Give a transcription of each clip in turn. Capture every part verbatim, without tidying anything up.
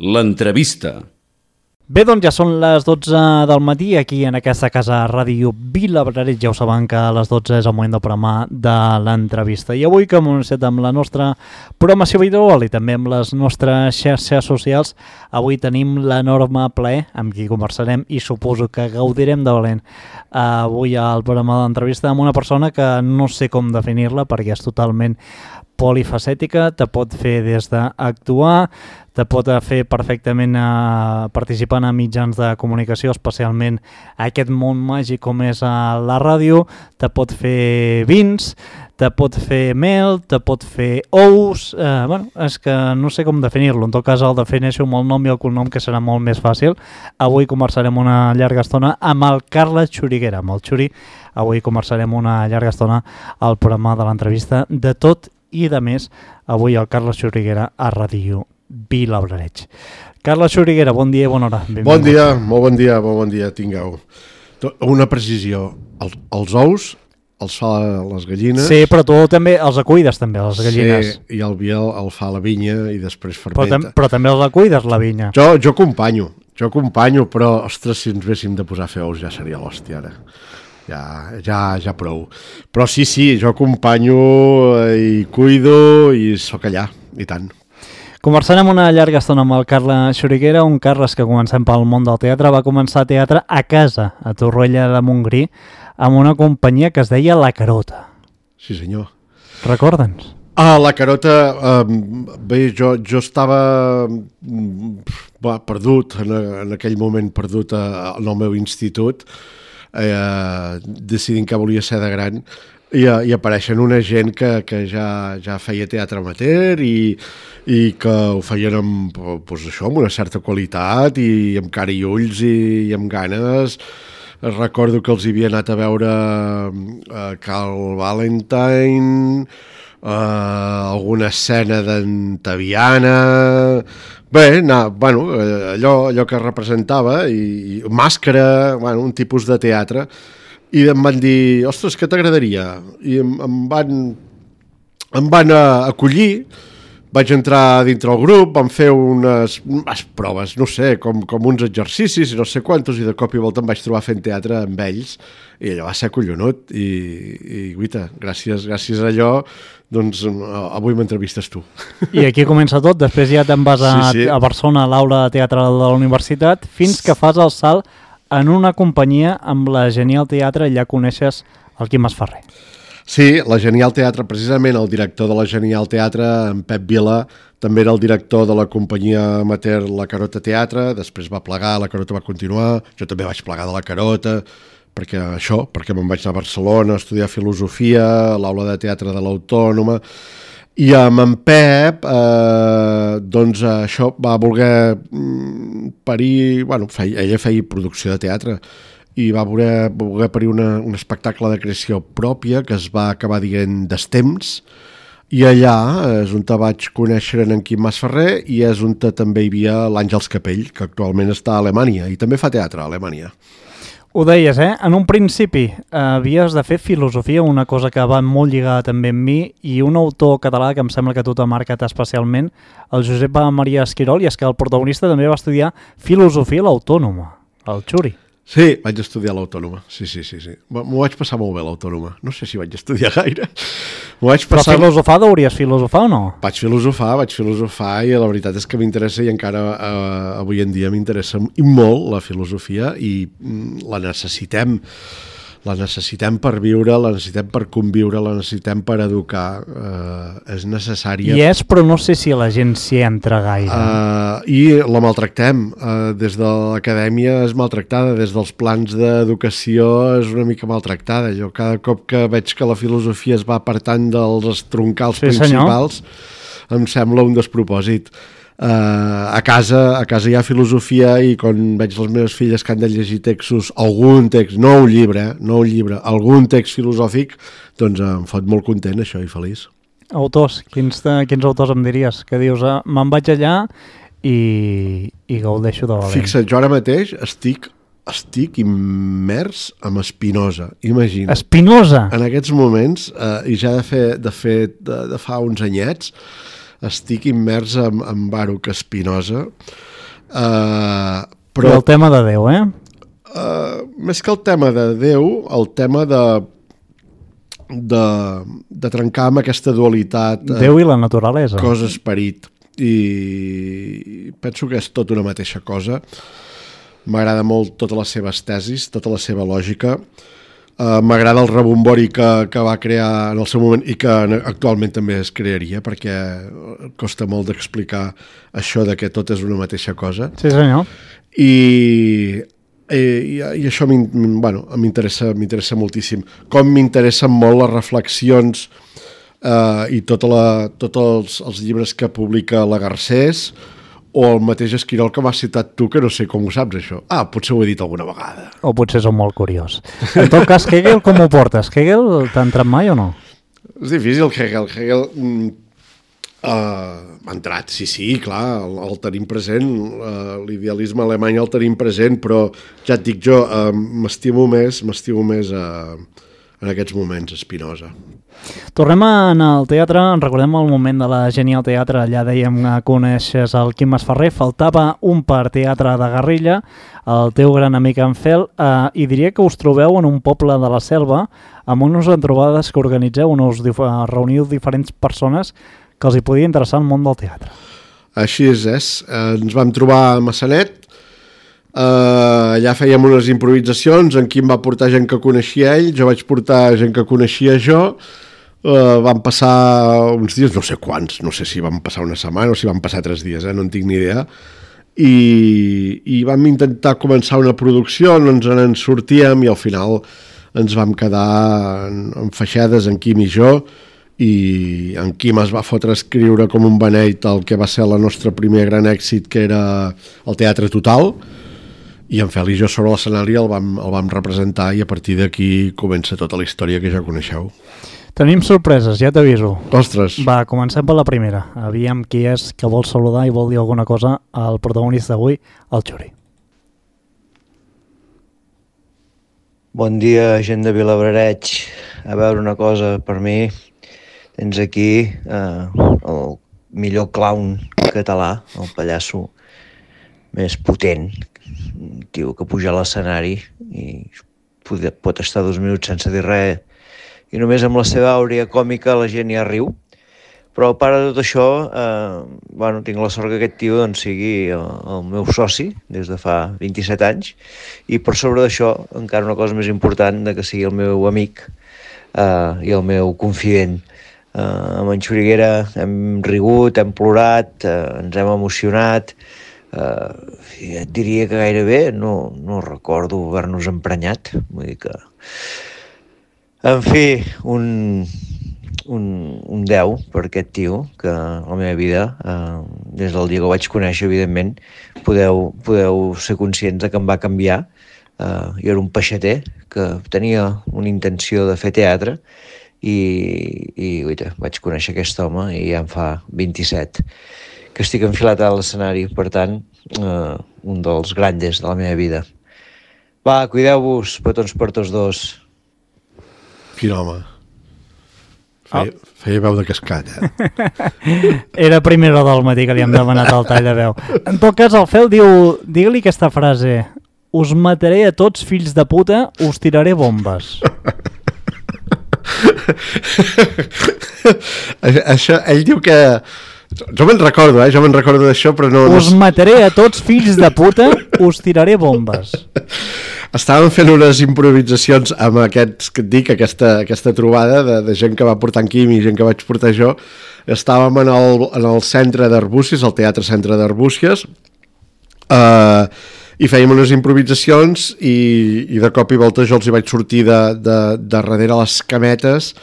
L'entrevista. Bé, doncs ja són les dotze del matí aquí en aquesta casa Ràdio Vilabrareig. Ja ho saben que a les dotze és el moment del programa de l'entrevista. I avui, que hem anunciat amb la nostra programació habitual i també amb les nostres xarxes socials, avui tenim l'enorme plaer amb qui conversarem i suposo que gaudirem de valent avui al programa de l'entrevista amb una persona que no sé com definir-la perquè és totalment polifacètica, te pot fer des d'actuar, te pot fer perfectament eh, participant a mitjans de comunicació, especialment a aquest món màgic com és a la ràdio, te pot fer vins, te pot fer mel, te pot fer ous, eh, bueno, és que no sé com definir-lo, en tot cas el defineixo amb el nom i el cognom que serà molt més fàcil. Avui conversarem una llarga estona amb el Carles Xuriguera, amb el Xuri, avui conversarem una llarga estona al programa de l'entrevista de tot i de més, avui el Carles Xuriguera a Ràdio Vilabrareig. Carles Xuriguera, bon dia i bona hora. Benvingut. Bon dia, molt bon dia, molt bon dia, tingueu. Una precisió, els, els ous els fa les gallines. Sí, però tu també els acuides, també, les gallines. Sí, i el Biel el fa la vinya i després fermenta. Però, però també els acuides, la vinya. Jo, jo acompanyo, jo acompanyo, però, ostres, si ens véssim de posar a fer ous ja seria l'hòstia, ara. Ja, ja, ja prou. Però sí, sí, jo acompanyo i cuido i sóc allà, i tant. Conversarem una llarga estona amb el Carles Xuriguera, un Carles que comencem pel món del teatre, va començar teatre a casa, a Torroella de Montgrí, amb una companyia que es deia La Carota. Sí, senyor. Recorda'ns. Ah, La Carota, eh, bé, jo, jo estava va, perdut, en, en aquell moment perdut a, en el meu institut, eh, decidint que volia ser de gran, i, i apareixen una gent que, que ja, ja feia teatre amateur i, i que ho feien amb, doncs això, amb una certa qualitat i amb cara i ulls i, i amb ganes. Recordo que els havia anat a veure a Carl Valentine, Uh, alguna escena d'Antaviana, bé, no, bueno, allò, allò que representava, i, i màscara, bueno, un tipus de teatre, i em van dir, ostres, què t'agradaria? I em, em van, em van acollir, vaig entrar dintre el grup, vam fer unes, unes proves, no sé, com, com uns exercicis i no sé quantos, i de cop i volta em vaig trobar fent teatre amb ells, i allò va ser collonut, i, i guita, gràcies, gràcies a allò, doncs avui m'entrevistes tu. I aquí comença tot, després ja te'n vas a, sí, sí. a Barcelona, a l'aula de teatre de la universitat, fins que fas el salt en una companyia amb la Genial Teatre, allà coneixes el Quim Masferrer. Sí, la Genial Teatre, precisament el director de la Genial Teatre, en Pep Vila, també era el director de la companyia amateur La Carota Teatre, després va plegar, La Carota va continuar, jo també vaig plegar de La Carota, perquè això, perquè me'n vaig anar a Barcelona a estudiar filosofia, a l'aula de teatre de l'Autònoma, i amb en Pep, eh, doncs això va voler parir, bueno, feia, ella feia producció de teatre, i va voler, voler parir una, un espectacle de creació pròpia que es va acabar dient Destemps, i allà és on te vaig conèixer en Quim Masferrer i és on també hi havia l'Àngels Capell, que actualment està a Alemanya i també fa teatre a Alemanya. Ho deies, eh? En un principi eh, havies de fer filosofia, una cosa que va molt lligada també amb mi, i un autor català que em sembla que tu t'ha marcat especialment, el Josep Maria Esquirol, i és que el protagonista també va estudiar filosofia a l'Autònoma, el Xuri. Sí, vaig estudiar a l'Autònoma, sí, sí, sí, sí. M'ho vaig passar molt bé a l'Autònoma, no sé si vaig estudiar gaire. Vaig passar... Però filosofar deuries filosofar o no? Vaig filosofar, vaig filosofar i la veritat és que m'interessa i encara eh, avui en dia m'interessa molt la filosofia i mm, la necessitem. La necessitem per viure, la necessitem per conviure, la necessitem per educar. Eh, és necessària. I és, però no sé si la gent s'hi entra gaire. Uh, I la maltractem. Uh, des de l'acadèmia és maltractada, des dels plans d'educació és una mica maltractada. Jo cada cop que veig que la filosofia es va apartant dels troncals sí, principals, senyor. Em sembla un despropòsit. Uh, a casa a casa hi ha filosofia i quan veig les meves filles que han de llegir textos, algun text, no un llibre, eh, no un llibre, algun text filosòfic, doncs em fot molt content això i feliç. Autors, quins, quins autors em diries? Que dius, eh, me'n vaig allà i, i gaudeixo de valent. Fixa't, jo ara mateix estic estic immers amb Spinoza, imagina. Spinoza? En aquests moments, eh, i ja de fer, de, fer de, de fa uns anyets, estic immers en, en Baruch Spinoza. Uh, però... I el tema de Déu, eh? Uh, més que el tema de Déu, el tema de, de, de trencar amb aquesta dualitat... Déu i la naturalesa. Cos-esperit. I penso que és tot una mateixa cosa. M'agrada molt totes les seves tesis, tota la seva lògica. Uh, m'agrada el rebombori que, que va crear en el seu moment i que actualment també es crearia, perquè costa molt d'explicar això de que tot és una mateixa cosa. Sí, senyor. I, i, i això bueno, m'interessa m'interessa moltíssim. Com m'interessen molt les reflexions uh, i tota la, tots els, els llibres que publica la Garcés, o el mateix Esquirol que m'has citat tu, que no sé com ho saps, això. Ah, potser ho he dit alguna vegada. O potser som molt curiós. En tot cas, Hegel, com ho portes? Hegel t'ha entrat mai o no? És difícil, Hegel. Hegel mm, uh, m'ha entrat, sí, sí, clar, el, el tenim present, uh, l'idealisme alemany el tenim present, però ja et dic jo, uh, m'estimo més, m'estimo més uh, en aquests moments, Spinoza. Tornem a anar al teatre, en recordem el moment de la Genial Teatre, allà dèiem que coneixes el Quim Masferrer, faltava un per teatre de guerrilla, el teu gran amic en Fel, eh, i diria que us trobeu en un poble de la selva, amb unes trobades que organitzeu, on us dif- reuniu diferents persones que els hi podia interessar el món del teatre. Així és, és. Eh, ens vam trobar a Massanet, Uh, allà fèiem unes improvisacions, en Quim va portar gent que coneixia ell, jo vaig portar gent que coneixia jo, uh, van passar uns dies, no sé quants, no sé si van passar una setmana o si van passar tres dies, eh? No en tinc ni idea, i, i vam intentar començar una producció, no ens en sortíem i al final ens vam quedar en, en feixades, en Quim i jo, i en Quim es va fotre a escriure com un beneit el que va ser el nostre primer gran èxit, que era el Teatre Total, i en Fel i jo sobre l'escenari el vam, el vam representar, i a partir d'aquí comença tota la història que ja coneixeu. Tenim sorpreses, ja t'aviso. Ostres. Va, comencem per la primera. Aviam qui és que vol saludar i vol dir alguna cosa al protagonista d'avui, el Xuri. Bon dia, gent de Vilablareix. A veure una cosa, per mi tens aquí eh, el millor clown català, el pallasso més potent, un tio que puja a l'escenari i pot estar dos minuts sense dir res i només amb la seva àurea còmica la gent ja riu. Però a part de tot això, eh, bueno, tinc la sort que aquest tio doncs, sigui el, el meu soci des de fa vint-i-set anys, i per sobre d'això encara una cosa més important, de que sigui el meu amic eh, i el meu confident. Eh, amb en Xuriguera hem rigut, hem plorat, eh, ens hem emocionat. Uh, et diria que gairebé no, no recordo haver-nos emprenyat, vull dir que en fi, un, un, un deu per aquest tio, que la meva vida uh, des del dia que ho vaig conèixer, evidentment podeu, podeu ser conscients de que em va canviar. Uh, jo era un peixater que tenia una intenció de fer teatre i, i uita, vaig conèixer aquest home i ja en fa vint-i-set que estic enfilat a l'escenari, per tant, eh, un dels grandes de la meva vida. Va, cuideu-vos, petons per tots dos. Quin home. Feia, oh. feia veu de cascat, eh? Era primera del matí que li hem demanat el tall de veu. En tot cas, el Fel diu, digue-li aquesta frase: us mataré a tots, fills de puta, us tiraré bombes. Això, ell diu que... Jo me'n recordo, eh? Jo me'n recordo d'això, però no... Us mataré a tots, fills de puta, us tiraré bombes. Estàvem fent unes improvisacions amb aquests, que et dic, aquesta, aquesta trobada de, de gent que va portar en Quim i gent que vaig portar jo. Estàvem en el, en el centre d'Arbúcies, el Teatre Centre d'Arbúcies, eh, i fèiem unes improvisacions i, i de cop i volta jo els hi vaig sortir de, de, de darrere les cametes,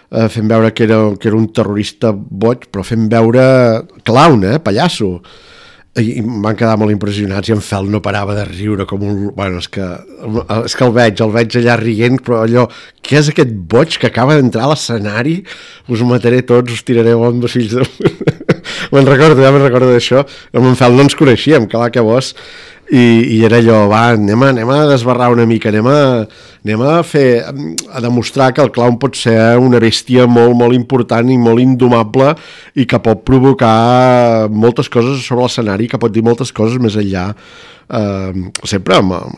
Uh, fent veure que era, que era un terrorista boig, però fent veure clown, eh, pallasso. I, i em van quedar molt impressionats i en Fel no parava de riure com un... Bueno, és que, és que el veig, el veig allà rient, però allò, què és aquest boig que acaba d'entrar a l'escenari? Us mataré tots, us tiraré bombes, fills de... me'n recordo, ja me'n recordo d'això. Amb en Fel no ens coneixíem, clar que vos. I, i era allò, va, anem a, anem a desbarrar una mica, anem a, anem a fer, a demostrar que el clown pot ser una bèstia molt, molt important i molt indomable i que pot provocar moltes coses sobre l'escenari, que pot dir moltes coses més enllà. Uh, sempre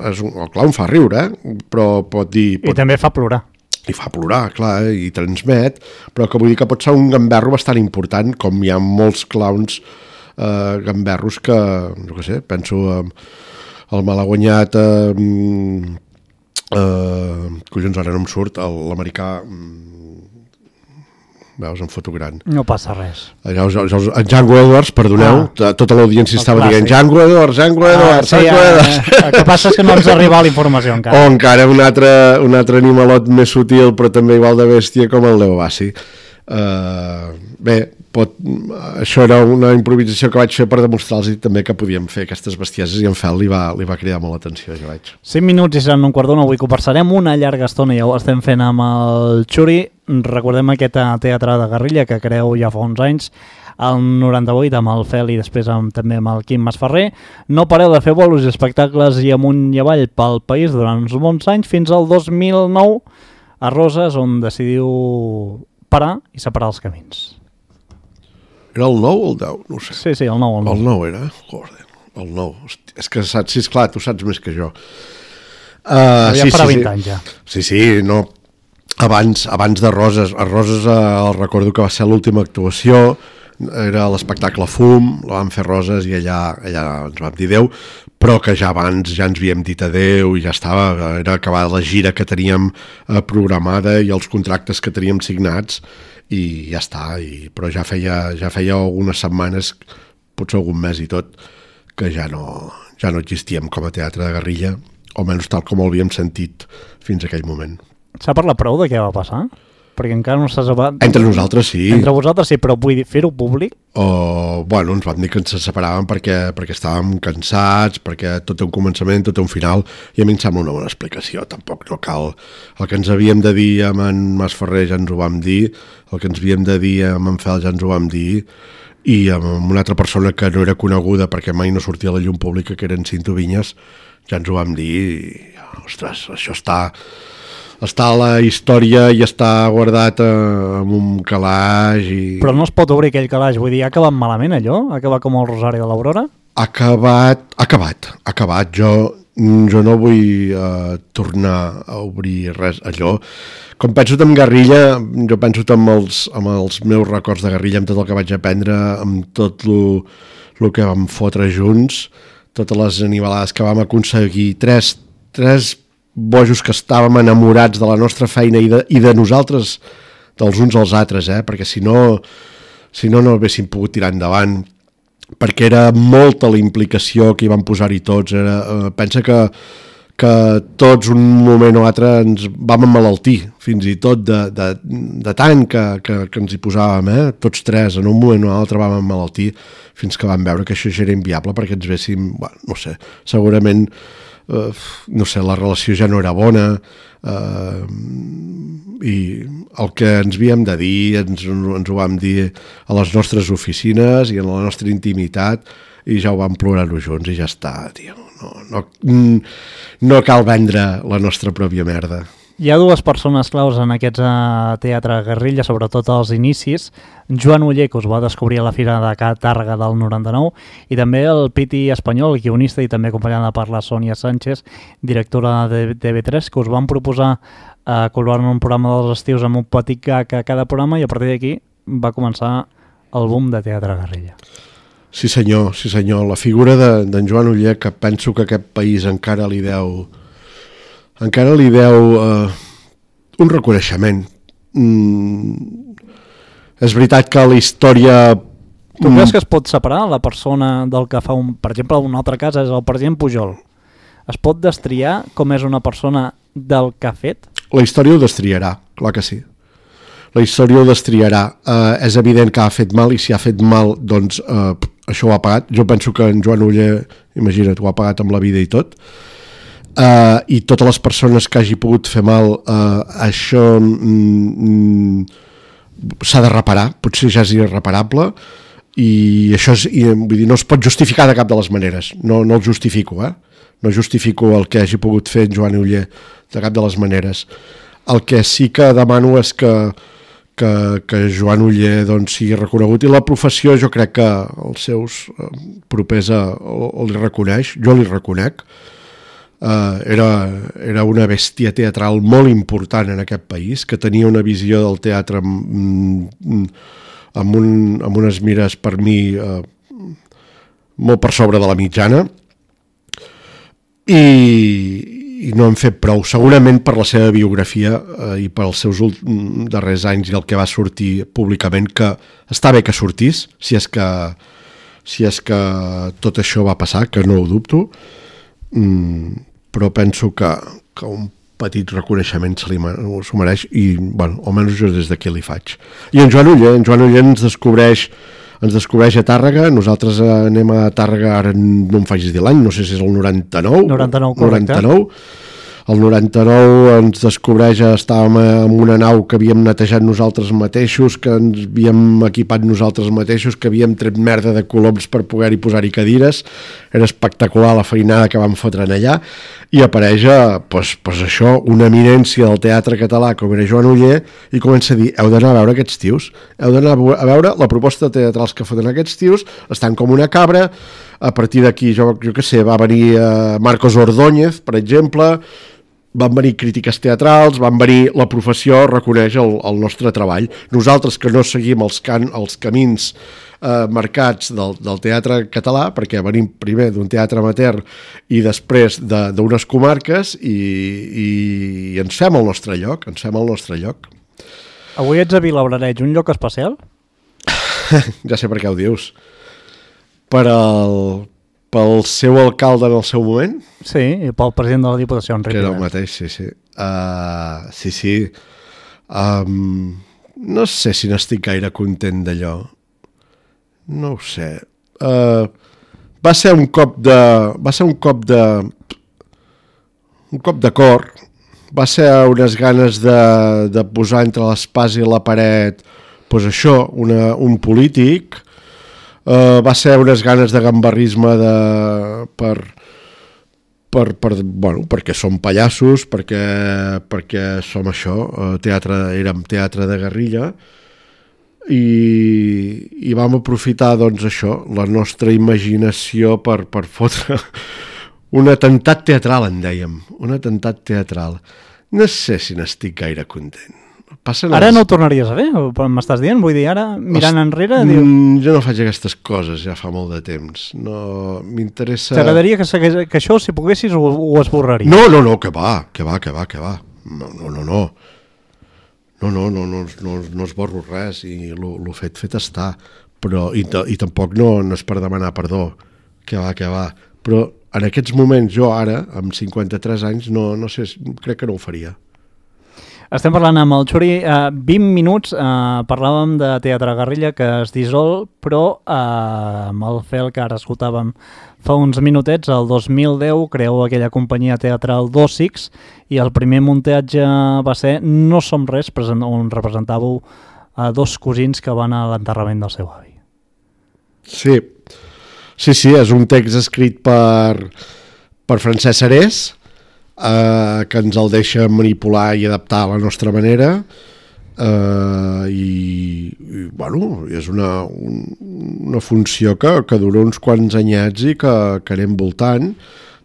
és un, el clown fa riure, eh? Però pot dir... Pot... I també fa plorar. I fa plorar, clar, eh? I transmet, però que vull dir que pot ser un gamberro bastant important, com hi ha molts clowns eh, gamberros que, no què sé, penso eh, el malaguanyat eh, eh, collons, ara no em surt l'americà, veus, em foto gran. No passa res. Allà, en Django Edwards, perdoneu, ah, tota l'audiència estava clàssic. dient Django Edwards, Django Edwards, ah, sí, Django Edwards. Eh, el que passa és que no ens arriba la informació encara. O encara un altre, un altre animalot més sutil, però també igual de bèstia, com el Leo Bassi. Uh, bé, pot, això era una improvisació que vaig fer per demostrar-los també que podíem fer aquestes bestieses, i en Fel li va, li va cridar molt l'atenció, jo vaig. cinc minuts i seran un quart d'una, avui conversarem una llarga estona, ja ho estem fent amb el Xuri. Recordem aquest teatre de guerrilla que creu ja fa uns anys, el noranta-vuit amb el Fel i després amb, també amb el Quim Masferrer. No pareu de fer bolos i espectacles i amunt i avall pel país durant uns bons anys, fins al dos mil nou a Roses, on decidiu parar i separar els camins. Era el nou o el deu? No ho sé. Sí, sí, el nou. El nou, el nou era? Joder, el nou. Hosti, és que saps, sí, esclar, tu saps més que jo. Uh, ja sí, farà sí, vint sí. anys ja. Sí, sí, no. Abans, abans de Roses. A Roses uh, recordo que va ser l'última actuació, era l'espectacle Fum, la vam fer Roses i allà, allà ens vam dir adéu, però que ja abans ja ens havíem dit adéu i ja estava, era acabada la gira que teníem eh, programada i els contractes que teníem signats i ja està, i, però ja feia, ja feia algunes setmanes, potser algun mes i tot, que ja no, ja no existíem com a teatre de guerrilla, o almenys tal com ho havíem sentit fins a aquell moment. S'ha parlat prou de què va passar? Perquè encara no s'ha sabat... Entre nosaltres sí. Entre vosaltres sí, però vull dir, fer-ho públic? O, bueno, ens van dir que ens separàvem perquè, perquè estàvem cansats, perquè tot té un començament, tot té un final, i a mi em sembla una bona explicació, tampoc no cal. El que ens havíem de dir amb en Masferrer ja ens ho vam dir, el que ens havíem de dir amb en Fel ja ens ho vam dir, i amb una altra persona que no era coneguda perquè mai no sortia a la llum pública, que eren Cinto Vinyes, ja ens ho vam dir, i, ostres, això està... està a la història i està guardat eh, en un calaix i... Però no es pot obrir aquell calaix, vull dir, ha acabat malament allò? Ha acabat com el Rosari de l'Aurora? Ha acabat, ha acabat, ha acabat. Jo, jo no vull eh, tornar a obrir res allò. Com penso en guerrilla, jo penso amb els, amb els meus records de guerrilla, amb tot el que vaig aprendre, amb tot el que vam fotre junts, totes les animalades que vam aconseguir, tres, tres bojos que estàvem enamorats de la nostra feina i de, i de nosaltres, dels uns als altres, eh? Perquè si no, si no, no haguéssim pogut tirar endavant, perquè era molta la implicació que hi van posar-hi tots. Era, eh, pensa que, que tots un moment o altre ens vam emmalaltir, fins i tot de, de, de tant que, que, que ens hi posàvem, eh? Tots tres, en un moment o altre vam emmalaltir, fins que vam veure que això ja era inviable perquè ens véssim, bueno, no sé, segurament Uh, no sé, la relació ja no era bona, uh, i el que ens havíem de dir ens, ens ho vam dir a les nostres oficines i en la nostra intimitat, i ja ho vam plorar-ho junts i ja està, tio. No, no, no cal vendre la nostra pròpia merda. Hi ha dues persones claus en aquest uh, teatre guerrilla, sobretot als inicis. Joan Oller, que us va descobrir a la Fira de Tàrrega del noranta-nou, i també el Piti Espanyol, guionista i també acompanyada per la Sònia Sánchez, directora de T V tres, que us van proposar uh, col·laborar en un programa dels estius amb un petit gag a cada programa, i a partir d'aquí va començar el boom de teatre guerrilla. Sí senyor, sí senyor. La figura d'en de, Joan Oller, que penso que aquest país encara li deu... encara li deu eh, un reconeixement. Mm, és veritat que la història... Tu creus que es pot separar la persona del que fa, un, per exemple, un altre cas és el president Pujol? Es pot destriar com és una persona del que ha fet? La història ho destriarà, clar que sí. La història ho destriarà. Eh, és evident que ha fet mal, i si ha fet mal, doncs eh, això ho ha pagat. Jo penso que en Joan Oller, imagina't, ho ha pagat amb la vida i tot. Uh, i totes les persones que hagi pogut fer mal, uh, això mm, mm, s'ha de reparar, potser ja és irreparable, i això és, i, vull dir, no es pot justificar de cap de les maneres, no, no el justifico, eh? No justifico el que hagi pogut fer en Joan Oller de cap de les maneres. El que sí que demano és que, que, que Joan Oller doncs, sigui reconegut, i la professió jo crec que els seus eh, propers a, o, o li reconeix, jo li reconec. Uh, era, era una bèstia teatral molt important en aquest país, que tenia una visió del teatre mm, amb, un, amb unes mires per mi uh, molt per sobre de la mitjana, i, i no han fet prou, segurament per la seva biografia uh, i per els seus darrers anys i el que va sortir públicament, que està bé que sortís, si és que, si és que tot això va passar, que no ho dubto. Mm, però penso que, que un petit reconeixement se li s'ho mereix, i bueno, almenys jo des d'aquí li faig. I en Joan Oller, en Joan Oller ens descobreix ens descobreix a Tàrrega, nosaltres anem a Tàrrega, ara no em facis dir l'any, no sé si és el noranta-nou, noranta-nou, correcte. noranta-nou. El noranta-nou ens descobreix, estàvem en una nau que havíem netejat nosaltres mateixos, que ens havíem equipat nosaltres mateixos, que havíem tret merda de coloms per poder-hi posar-hi cadires. Era espectacular la feinada que vam fotre allà, i apareix pues, pues això, una eminència del teatre català com era Joan Oller, i comença a dir, heu d'anar a veure aquests tios, heu d'anar a veure la proposta de teatrals que foten aquests tios, estan com una cabra. A partir d'aquí, jo, jo què sé, va venir uh, Marcos Ordóñez, per exemple, van venir crítiques teatrals, van venir la professió, reconeix el, el nostre treball. Nosaltres que no seguim els, can, els camins eh, marcats del, del teatre català, perquè venim primer d'un teatre amateur i després d'unes comarques, i, i, i ens fem el nostre lloc, ens fem el nostre lloc. Avui ets a Vilablareix, un lloc especial? Ja sé per què ho dius. Per al... pel seu alcalde en el seu moment? Sí, i pel president de la Diputació, Enric que era el Rivera. mateix, sí, sí. Uh, sí, sí. Um, no sé si n'estic gaire content d'allò. No ho sé. Uh, va ser un cop de... Va ser un cop de... Un cop de cor. Va ser unes ganes de, de posar entre l'espasa i la paret, pues això, una, un polític. Uh, va ser unes ganes de gambarrisme de, per, per, per, bueno, perquè som pallassos, perquè, perquè som això, uh, teatre, érem teatre de guerrilla, i, i vam aprofitar doncs això, la nostra imaginació per, per fotre un atemptat teatral, en dèiem, un atemptat teatral. No sé si n'estic gaire content. Passen ara els... no ho tornaries a fer, m'estàs dient? Vull dir, ara, mirant Host... enrere... Diu... Mm, jo no faig aquestes coses ja fa molt de temps. No, m'interessa... T'agradaria que, que això, si poguessis, ho, ho esborraries? No, no, no, que va, que va, que va, que va. No, no, no, no. No, no, no, no, no, no esborro res, i el fet fet està. Però, i, i tampoc no, no és per demanar perdó. Que va, que va. Però en aquests moments, jo ara, amb cinquanta-tres anys, no, no sé, crec que no ho faria. Estem parlant amb el Xuri, eh, vint minuts, eh, parlàvem de Teatre Guerrilla que es dissol, però eh, amb el fel que ara escoltàvem fa uns minutets, el dos mil deu creeu aquella companyia teatral dos X, i el primer muntatge va ser No som res, on representàveu eh, dos cosins que van a l'enterrament del seu avi. Sí, sí, sí, és un text escrit per, per Francesc Serés, Uh, que ens el deixa manipular i adaptar a la nostra manera, uh, i, i bueno, és una, un, una funció que, que dura uns quants anyets i que, que anem voltant.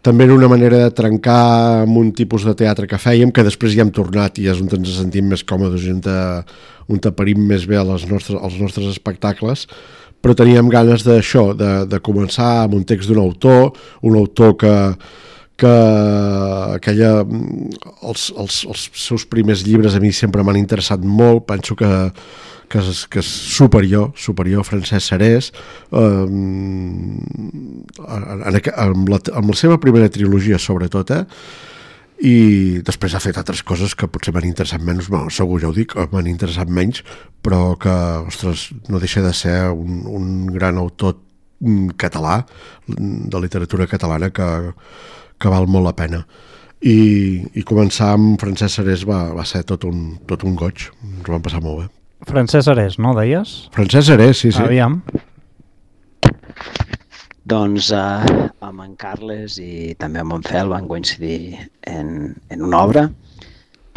També era una manera de trencar amb un tipus de teatre que fèiem, que després hi hem tornat i és on ens sentim més còmodes i on, te, on taparim més bé els nostres, els nostres espectacles, però teníem ganes d'això, de, de començar amb un text d'un autor, un autor que que aquella, els, els, els seus primers llibres a mi sempre m'han interessat molt, penso que, que, és, que és superior, superior Francesc Serés, eh, en, amb, la, amb la seva primera trilogia sobretot, eh, i després ha fet altres coses que potser m'han interessat menys, bueno, segur ja ho dic, m'han interessat menys, però que, ostres, no deixa de ser un, un gran autor català, de literatura catalana, que que val molt la pena. I, i començar amb Francesc Serés va, va ser tot un, tot un goig. Ens ho vam passar molt bé. Francesc Serés, no, deies? Francesc Serés, sí, sí. Aviam. Doncs eh, amb en Carles i també amb en Fel van coincidir en, en una obra,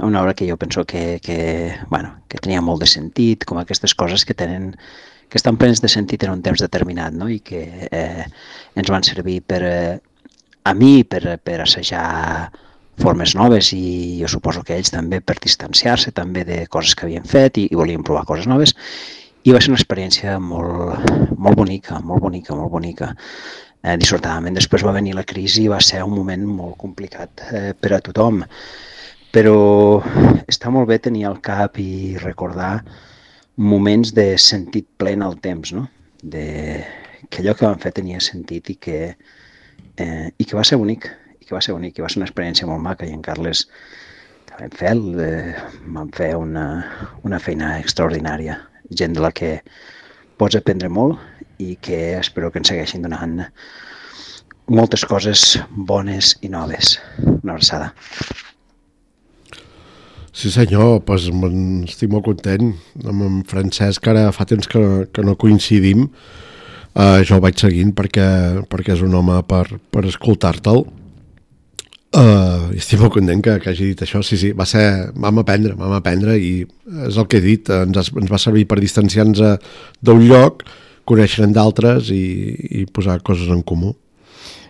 una obra que jo penso que, que, bueno, que tenia molt de sentit, com aquestes coses que tenen que estan plenes de sentit en un temps determinat, no? I que eh, ens van servir per, eh, a mi per, per assajar formes noves i jo suposo que ells també per distanciar-se també de coses que havien fet i, i volien provar coses noves. I va ser una experiència molt, molt bonica, molt bonica, molt bonica. Eh, dissortadament després va venir la crisi i va ser un moment molt complicat eh, per a tothom. Però està molt bé tenir al cap i recordar moments de sentit ple en el temps, no? De, que allò que vam fer tenia sentit i que, eh, i que va ser bonic, i que va ser bonic, i va ser una experiència molt maca, i en Carles també en Fel eh, van fer una, una feina extraordinària. Gent de la que pots aprendre molt i que espero que ens segueixin donant moltes coses bones i noves. Una abraçada. Sí senyor, pues, estic molt content amb en Francesc, ara fa temps que, que no coincidim, uh, jo el vaig seguint perquè, perquè és un home per, per escoltar-te'l. Uh, estic molt content que, que hagi dit això. Sí, sí, va ser, vam aprendre, vam aprendre i és el que he dit, ens, has, ens va servir per distanciar-nos d'un lloc, conèixer-en d'altres i, i posar coses en comú.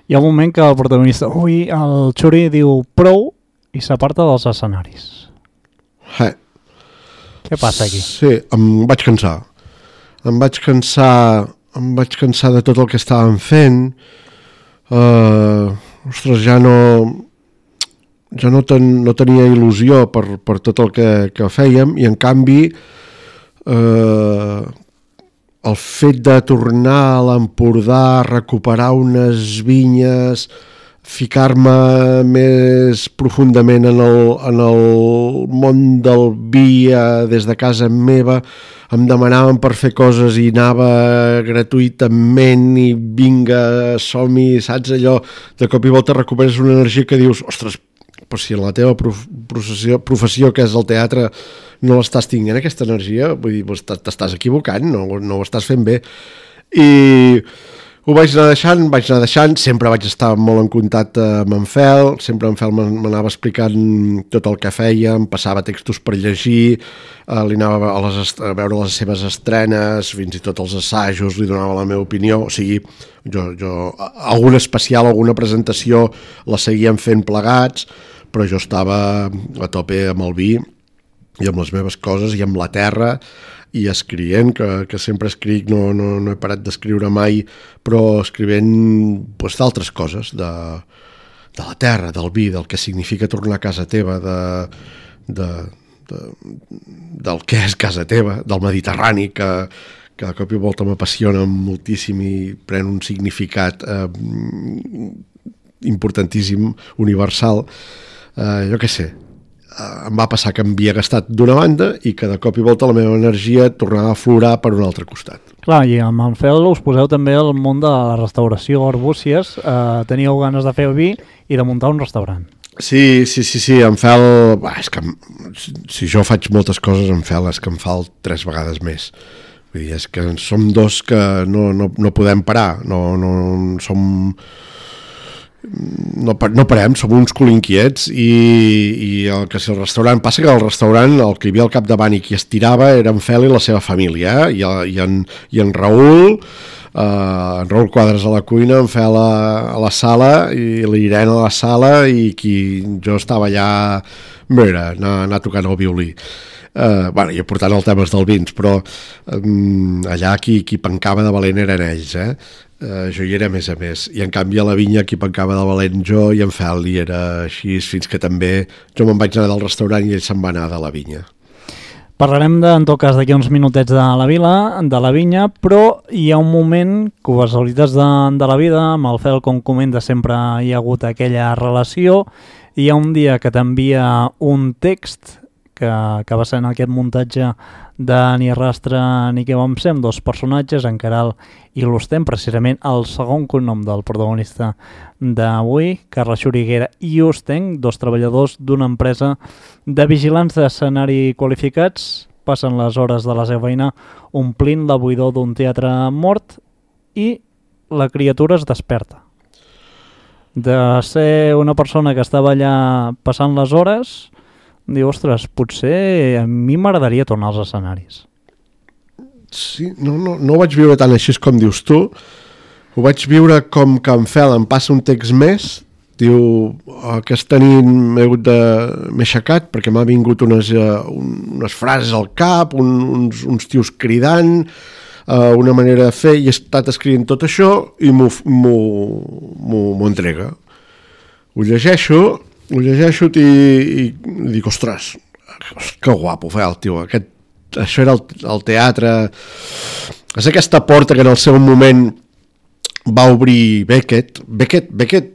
Hi ha un moment que el protagonista, ui, el Xuri diu prou i s'aparta dels escenaris. Eh. Què passa aquí? Sí, em vaig cansar. Em vaig cansar, em vaig cansar de tot el que estàvem fent. Uh, ostres, ja no... ja no, ten, no tenia il·lusió per, per tot el que, que fèiem i en canvi eh, el fet de tornar a l'Empordà, recuperar unes vinyes, ficar-me més profundament en el, en el món del vi eh, des de casa meva, em demanaven per fer coses i anava gratuïtament i vinga, som-hi, saps allò, de cop i volta recuperes una energia que dius, ostres, però si en la teva professió, professió que és el teatre no l'estàs tinguent aquesta energia, vull dir, t'estàs equivocant, no, no ho estàs fent bé. I ho vaig anar deixant, vaig anar deixant, sempre vaig estar molt en contacte amb en Fel, sempre en Fel m'anava explicant tot el que feia, em passava textos per llegir, eh, li anava a, les, a veure les seves estrenes, fins i tot els assajos, li donava la meva opinió, o sigui, jo, jo alguna especial, alguna presentació la seguíem fent plegats, però jo estava a tope amb el vi i amb les meves coses i amb la terra i escrivint, que, que sempre escric, no, no, no he parat d'escriure mai, però escrivint pues, d'altres coses, de, de la terra, del vi, del que significa tornar a casa teva, de, de, de, del que és casa teva, del Mediterrani, que, que de cop i volta m'apassiona moltíssim i pren un significat eh, importantíssim, universal. Uh, jo què sé, uh, em va passar que em havia gastat d'una banda i que de cop i volta la meva energia tornava a aflorar per un altre costat. Clar, i amb en Fel us poseu també al món de la restauració, Arbúcies, uh, teníeu ganes de fer vi i de muntar un restaurant. Sí, sí, sí, sí, en Fel, bah, és que si jo faig moltes coses en Fel és que em fa tres vegades més. Vull dir, és que som dos que no, no, no podem parar, no, no som... No, no parem, som uns colinquiets i, i el que si el restaurant passa que el restaurant el que hi havia al capdavant i qui estirava era en Fel i la seva família eh? I, i, en, i en Raül eh, en Raül Quadres a la cuina, en Fel a, a la sala i l'Irene a la sala i qui jo estava allà mira, anar, anar tocant el violí. Uh, bueno, i portant el temes del vins, però um, allà qui, qui pencava de valent eren ells, eh? Uh, jo hi era més a més, i en canvi a la vinya qui pencava de valent jo i en Fel i era així, fins que també jo me'n vaig anar del restaurant i ell se'n va anar de la vinya. Parlarem de, en tot cas d'aquí uns minutets de la vila, de la vinya, però hi ha un moment, casualitats de, de la vida, amb el Fel, com comenta, sempre hi ha hagut aquella relació, i hi ha un dia que t'envia un text que, que va ser en aquest muntatge de Ni rastre ni què vam ser, amb dos personatges, en Caral i l'Ustem, precisament el segon cognom del protagonista d'avui, Carles Xuriguera i Ustenc, dos treballadors d'una empresa de vigilants d'escenari qualificats, passen les hores de la seva feina omplint la buidor d'un teatre mort i la criatura es desperta. De ser una persona que estava allà passant les hores, diu, ostres, potser a mi m'agradaria tornar als escenaris. Sí, no, no, no ho vaig viure tant així com dius tu, ho vaig viure com que en Fel em passa un text més, diu, aquesta nit m'he hagut de... m'he aixecat perquè m'ha vingut unes, uh, unes frases al cap, un, uns, uns tios cridant, uh, una manera de fer, i he estat escrivint tot això i m'ho, m'ho, m'ho, m'ho entrega. Ho llegeixo, ho llegeixo i, i, i dic, ostres, que guapo, Fel, tio, aquest, això era el, el teatre, és aquesta porta que en el seu moment va obrir Beckett, Beckett, Beckett,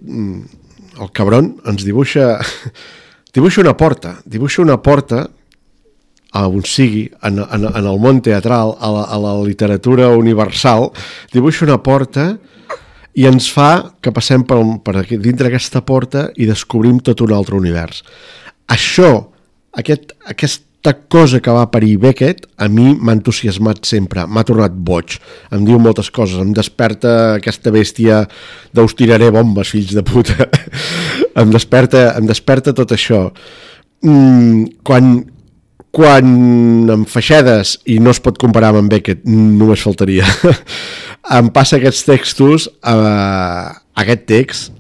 el cabron, ens dibuixa, dibuixa una porta, dibuixa una porta a on sigui, en, en, en el món teatral, a la, a la literatura universal, dibuixa una porta i ens fa que passem per, per aquí, dintre aquesta porta i descobrim tot un altre univers. Això, aquest, aquesta cosa que va parir Beckett, a mi m'ha entusiasmat sempre, m'ha tornat boig, em diu moltes coses, em desperta aquesta bèstia d'us tiraré bombes, fills de puta, em desperta, em desperta tot això. Mm, quan, quan em feixedes, i no es pot comparar amb en Beckett, només faltaria, em passa aquests textos, eh, aquest text,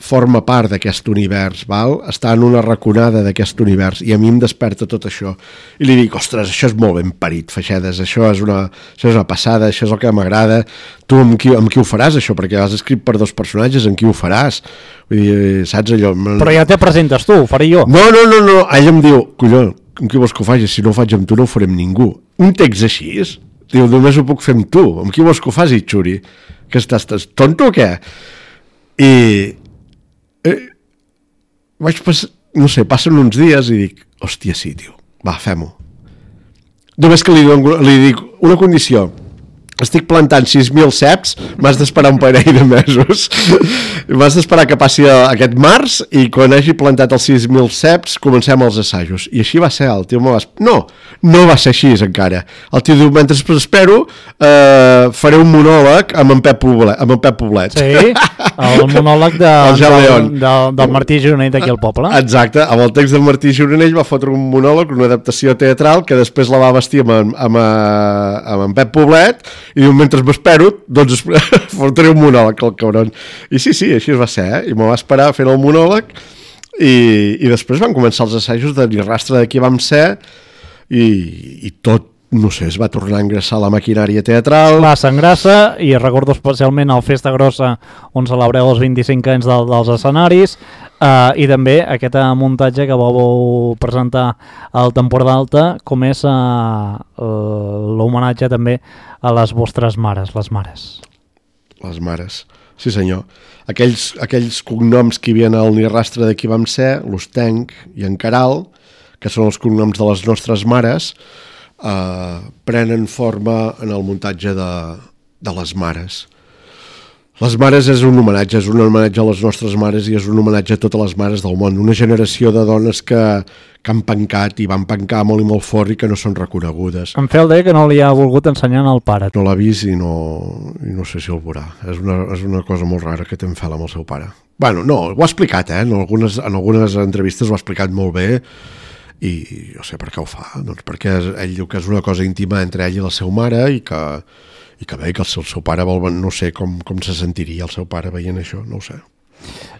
forma part d'aquest univers, val? Està en una raconada d'aquest univers i a mi em desperta tot això. I li dic, ostres, això és molt ben parit, Feixedes, això és una, això és una passada, això és el que m'agrada. Tu amb qui, amb qui ho faràs, això? Perquè has escrit per dos personatges, amb qui ho faràs? Vull dir, saps allò? Però ja te presentes tu, ho faré jo. No, no, no, no. Ell em diu, colló, amb qui vols que ho faci? Si no ho faig amb tu, no ho faré amb ningú. Un text així, diu, només ho puc fer amb tu. Amb qui vols que ho faci, xuri? Que estàs, estàs tonto o què? I... Eh, vaig passar, no sé, passen uns dies i dic, hòstia, sí, tio, va, fem-ho. Només que li, dono, li dic una condició, estic plantant sis mil ceps, m'has d'esperar un parell de mesos, m'has d'esperar que passi aquest març i quan hagi plantat els sis mil ceps comencem els assajos. I així va ser, el tio m'ho va... No, no va ser així encara. El tio diu, mentre espero eh, faré un monòleg amb en Pep Poblet. Amb en Pep Poblet. Sí, el monòleg de, del, del, del Martí Gironell d'aquí al poble. Exacte, amb el text del Martí Gironell va fotre un monòleg, una adaptació teatral que després la va vestir amb, amb, amb, amb en Pep Poblet i diu, mentre m'espero, doncs fotré un monòleg, el cabron. I sí, sí, així es va ser, eh? I m'ho va esperar fent el monòleg i, i després van començar els assajos de Ni rastre de qui vam ser i, i tot, no sé, es va tornar a engraçar la maquinària teatral. Va, s'engrassa, i recordo especialment el Festa Grossa on celebreu els vint-i-cinc anys del, dels escenaris, eh, i també aquest muntatge que vau presentar al Temporada d'Alta, com és eh, l'homenatge també a les vostres mares, les mares. Les mares, sí senyor. Aquells, aquells cognoms que hi havia al Ni rastre de qui vam ser, l'Ostenc i en Caral, que són els cognoms de les nostres mares, Uh, prenen forma en el muntatge de, de les mares. Les mares és un homenatge, és un homenatge a les nostres mares i és un homenatge a totes les mares del món. Una generació de dones que, que han pencat i van pencar molt i molt fort i que no són reconegudes. En Fel deia que no li ha volgut ensenyar al pare. No l'ha vist i no, i no sé si el veurà. És una, és una cosa molt rara que té en Fel amb el seu pare. Bueno, no, ho ha explicat, eh? En algunes, en algunes entrevistes ho ha explicat molt bé. I no sé per què ho fa, doncs perquè ell diu que és una cosa íntima entre ell i la seva mare i que, i que bé, que el seu, el seu pare vol, no sé com, com se sentiria el seu pare veient això, no ho sé.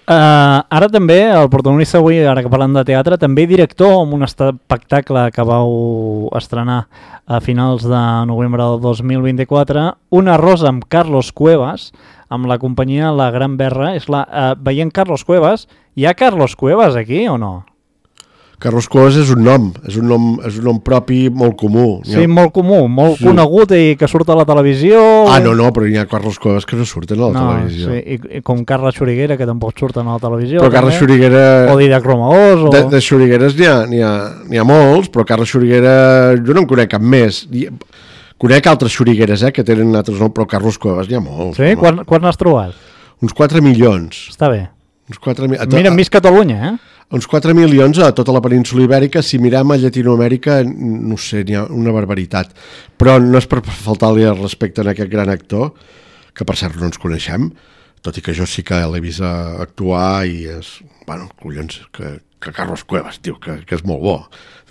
Uh, ara també, el protagonista avui, ara que parlem de teatre, també director amb un espectacle que vau estrenar a finals de novembre del dos mil vint-i-quatre, Una rosa amb Carlos Cuevas, amb la companyia La Gran Berra. És la, uh, veient Carlos Cuevas, hi ha Carlos Cuevas aquí o no? Carlos Cuevas és un nom, és un nom, és un nom propi molt comú. Sí, ha... molt comú, molt sí. Conegut i que surt a la televisió. Ah, no, no, però hi ha Carlos Cuevas que no surten a la no, televisió. Sí, i, i com Carla Xuriguera, que tampoc surten a la televisió. Però Carla Xuriguera... O Didac Romaós. O... De, de Xurigueres n'hi ha, n'hi ha, n'hi ha molts, però Carla Xuriguera jo no en conec cap més. Conec altres Xurigueres, eh, que tenen altres noms, però Carlos Cuevas n'hi ha molts. Sí? Quan, quan n'has trobat? Uns quatre milions. Està bé. Uns quatre mi... Mira, Miss Catalunya, eh? Uns quatre milions a tota la península ibèrica. Si mirem a Llatinoamèrica, no sé, n'hi ha una barbaritat. Però no és per faltar-li el respecte a aquest gran actor, que per cert no ens coneixem, tot i que jo sí que l'he vist actuar i és, bueno, collons, que, que Carlos Cuevas, tio, que, que és molt bo,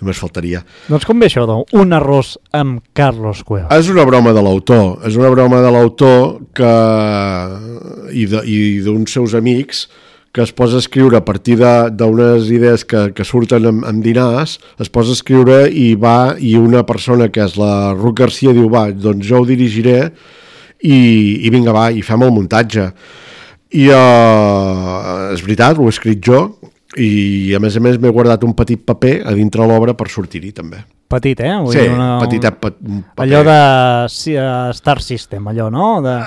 només faltaria. Doncs com ve això, doncs? Un arròs amb Carlos Cuevas. És una broma de l'autor, és una broma de l'autor que i d'uns seus amics que es posa a escriure a partir d'unes idees que, que surten en, en dinars, es posa a escriure i va, i una persona que és la Ruth Garcia diu, va, doncs jo ho dirigiré i, i vinga, va, i fem el muntatge. I uh, és veritat, ho he escrit jo, i a més a més m'he guardat un petit paper a dintre l'obra per sortir-hi també. Petit, eh? Vull sí, dir una, petitet pa, paper. Allò de sí, uh, Star System, allò, no? De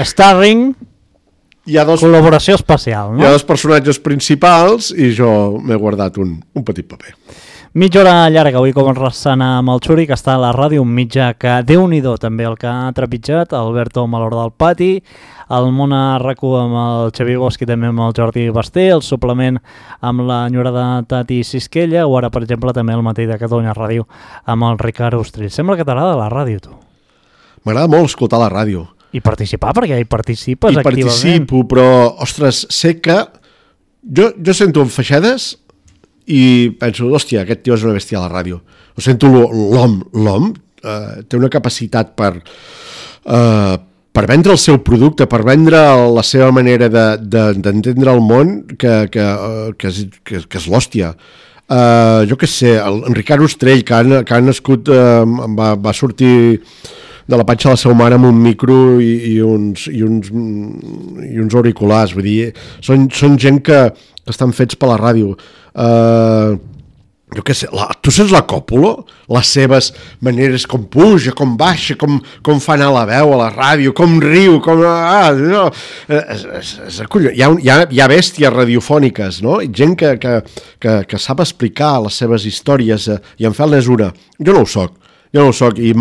Starring, hi ha dos, col·laboració especial, no? Hi ha dos personatges principals i jo m'he guardat un, un petit paper. Mitja hora llarga, avui com resana amb el Xuri, que està a la ràdio, un mitjà que Déu-n'hi-do també el que ha trepitjat, Alberto Malor del Pati, el món a RAC u amb el Xavi Bosch i també amb el Jordi Basté, el suplement amb la enyorada Tati Sisquella, o ara, per exemple, també el matí de Catalunya Ràdio amb el Ricard Ostrell. Sembla que t'agrada la ràdio, tu. M'agrada molt escoltar la ràdio. I participar, perquè hi participes I activament. I participo, però, ostres, sé que jo, jo sento en Feixedes i penso, hòstia, aquest tio és una bèstia a la ràdio. Ho sento, l'hom, l'hom eh, té una capacitat per, eh, per vendre el seu producte, per vendre la seva manera d'entendre de, de, el món, que, que, que, és, que, que és l'hòstia. Eh, jo què sé, el, en Ricard Ostrell, que ha, que ha nascut, eh, va, va sortir de la panxa de la seva mare amb un micro i, i, uns, i, uns, i uns auriculars, vull dir, són, són gent que, que estan fets per la ràdio. Uh, jo què sé, la, tu saps la Còpolo? Les seves maneres, com puja, com baixa, com, com fa anar la veu a la ràdio, com riu, com... Ah, no, és, és, és, hi, ha, hi, ha, hi ha bèsties radiofòniques, no? Gent que, que, que, que sap explicar les seves històries, eh, i en Fel n'és una. Jo no ho soc. Jo no ho soc i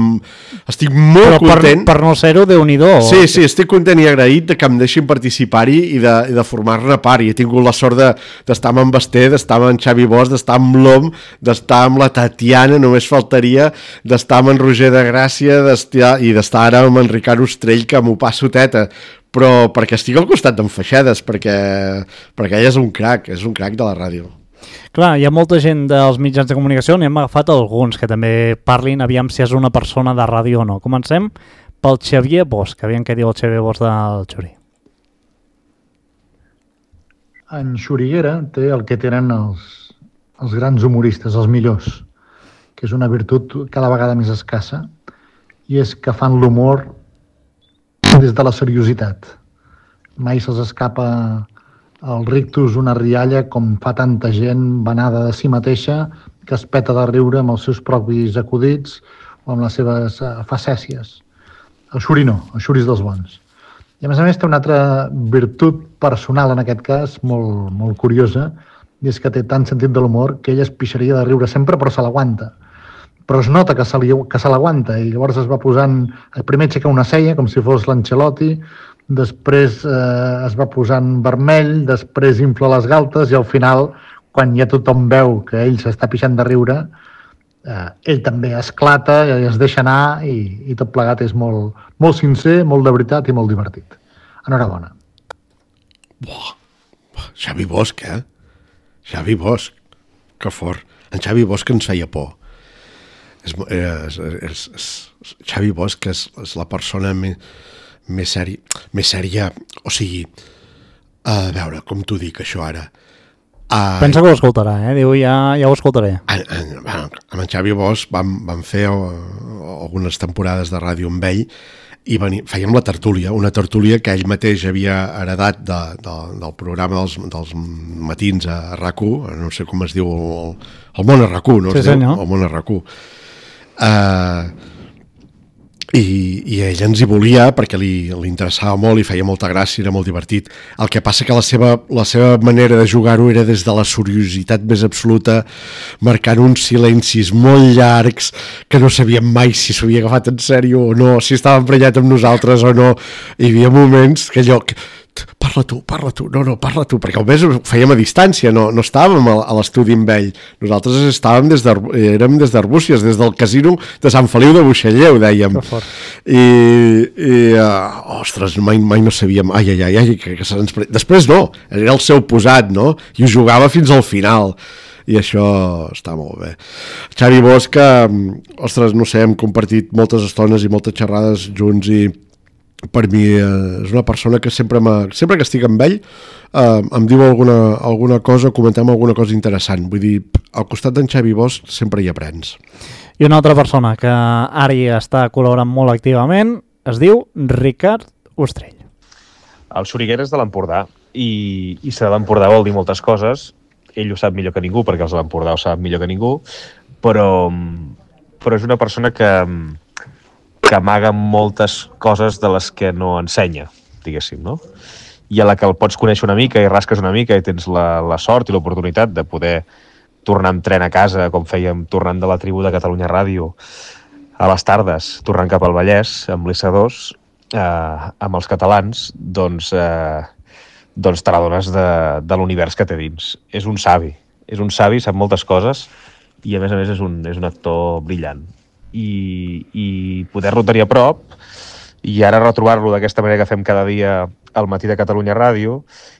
estic molt Però content. Per, per no ser-ho, Déu-n'hi-do. Sí, sí, estic content i agraït de que em deixin participar-hi i de, i de formar-ne part. I he tingut la sort d'estar amb en Basté, d'estar amb en Xavi Bosch, d'estar amb l'Om, d'estar amb la Tatiana, només faltaria, d'estar amb en Roger de Gràcia i d'estar ara amb en Ricard Ostrell, que m'ho passo teta. Però perquè estic al costat d'en Feixedes, perquè, perquè ell és un crac, és un crac de la ràdio. Clar, hi ha molta gent dels mitjans de comunicació, n'hem agafat alguns que també parlin, aviam si és una persona de ràdio o no. Comencem pel Xavier Bosch, aviam què diu el Xavier Bosch del Xuri. En Xuriguera té el que tenen els, els grans humoristes, els millors, que és una virtut cada vegada més escassa, i és que fan l'humor des de la seriositat. Mai se'ls escapa el rictus, una rialla, com fa tanta gent vanada de si mateixa, que es peta de riure amb els seus propis acudits o amb les seves facècies. El Xuri no, el Xuri és dels bons. I a més a més té una altra virtut personal en aquest cas, molt, molt curiosa, i és que té tant sentit de l'humor que ell es pixaria de riure sempre, però se l'aguanta. Però es nota que se, li, que se l'aguanta, i llavors es va posant, primer aixeca una cella, com si fos l'Ancelotti, després eh, es va posant vermell, després infla les galtes i al final, quan ja tothom veu que ell s'està pixant de riure, eh, ell també esclata i es deixa anar i, i tot plegat és molt, molt sincer, molt de veritat i molt divertit. Enhorabona. Buah, Xavi Bosch, eh? Xavi Bosch, que fort. En Xavi Bosch ens feia por. És, és, és, és, Xavi Bosch és, és la persona més... més sèria, més sèria, o sigui, a veure, com t'ho dic això ara? Uh, Pensa que ho escoltarà, eh? Diu, ja, ja ho escoltaré. En, en, bueno, amb en Xavi Bosch vam, vam fer uh, algunes temporades de ràdio amb ell i veni, fèiem la tertúlia, una tertúlia que ell mateix havia heredat de, de, del programa dels, dels matins a RAC u, no sé com es diu, el, el món a RAC u, no? Sí, senyor. El món a RAC u. Uh, I, i ell ens hi volia perquè li, li interessava molt i feia molta gràcia, era molt divertit. El que passa que la seva, la seva manera de jugar-ho era des de la seriositat més absoluta, marcant uns silencis molt llargs que no sabíem mai si s'havia agafat en sèrio o no, si estava emprenyat amb nosaltres o no. Hi havia moments que allò... parla tu, parla tu, no, no, parla tu, perquè almenys ho fèiem a distància, no, no estàvem a l'estudi amb ell, nosaltres estàvem des érem des d'Arbúcies, des del casino de Sant Feliu de Buixalleu, dèiem, i, i uh, ostres, mai, mai no sabíem, ai, ai, ai, ai que, que se'ns... Després no, era el seu posat, no? I ho jugava fins al final, i això està molt bé. Xavi Bosch, ostres, no sé, hem compartit moltes estones i moltes xerrades junts i per mi eh, és una persona que sempre, sempre que estic amb ell eh, em diu alguna, alguna cosa, comentem alguna cosa interessant. Vull dir, al costat d'en Xavi Bosch sempre hi aprens. I una altra persona que ara hi està col·laborant molt activament es diu Ricard Ostrell. El Xuriguera és de l'Empordà i, i ser de l'Empordà vol dir moltes coses. Ell ho sap millor que ningú perquè els de l'Empordà ho saben millor que ningú, però, però és una persona que que amaga moltes coses de les que no ensenya, diguéssim, no? I a la que el pots conèixer una mica i rasques una mica i tens la, la sort i l'oportunitat de poder tornar amb tren a casa, com fèiem tornant de la tribu de Catalunya Ràdio a les tardes, tornant cap al Vallès amb l'I C dos, eh, amb els catalans, doncs, eh, doncs te l'adones de, de l'univers que té dins. És un savi, és un savi, sap moltes coses i a més a més és un, és un actor brillant. I, i poder-lo tenir a prop i ara retrobar-lo d'aquesta manera que fem cada dia al matí de Catalunya Ràdio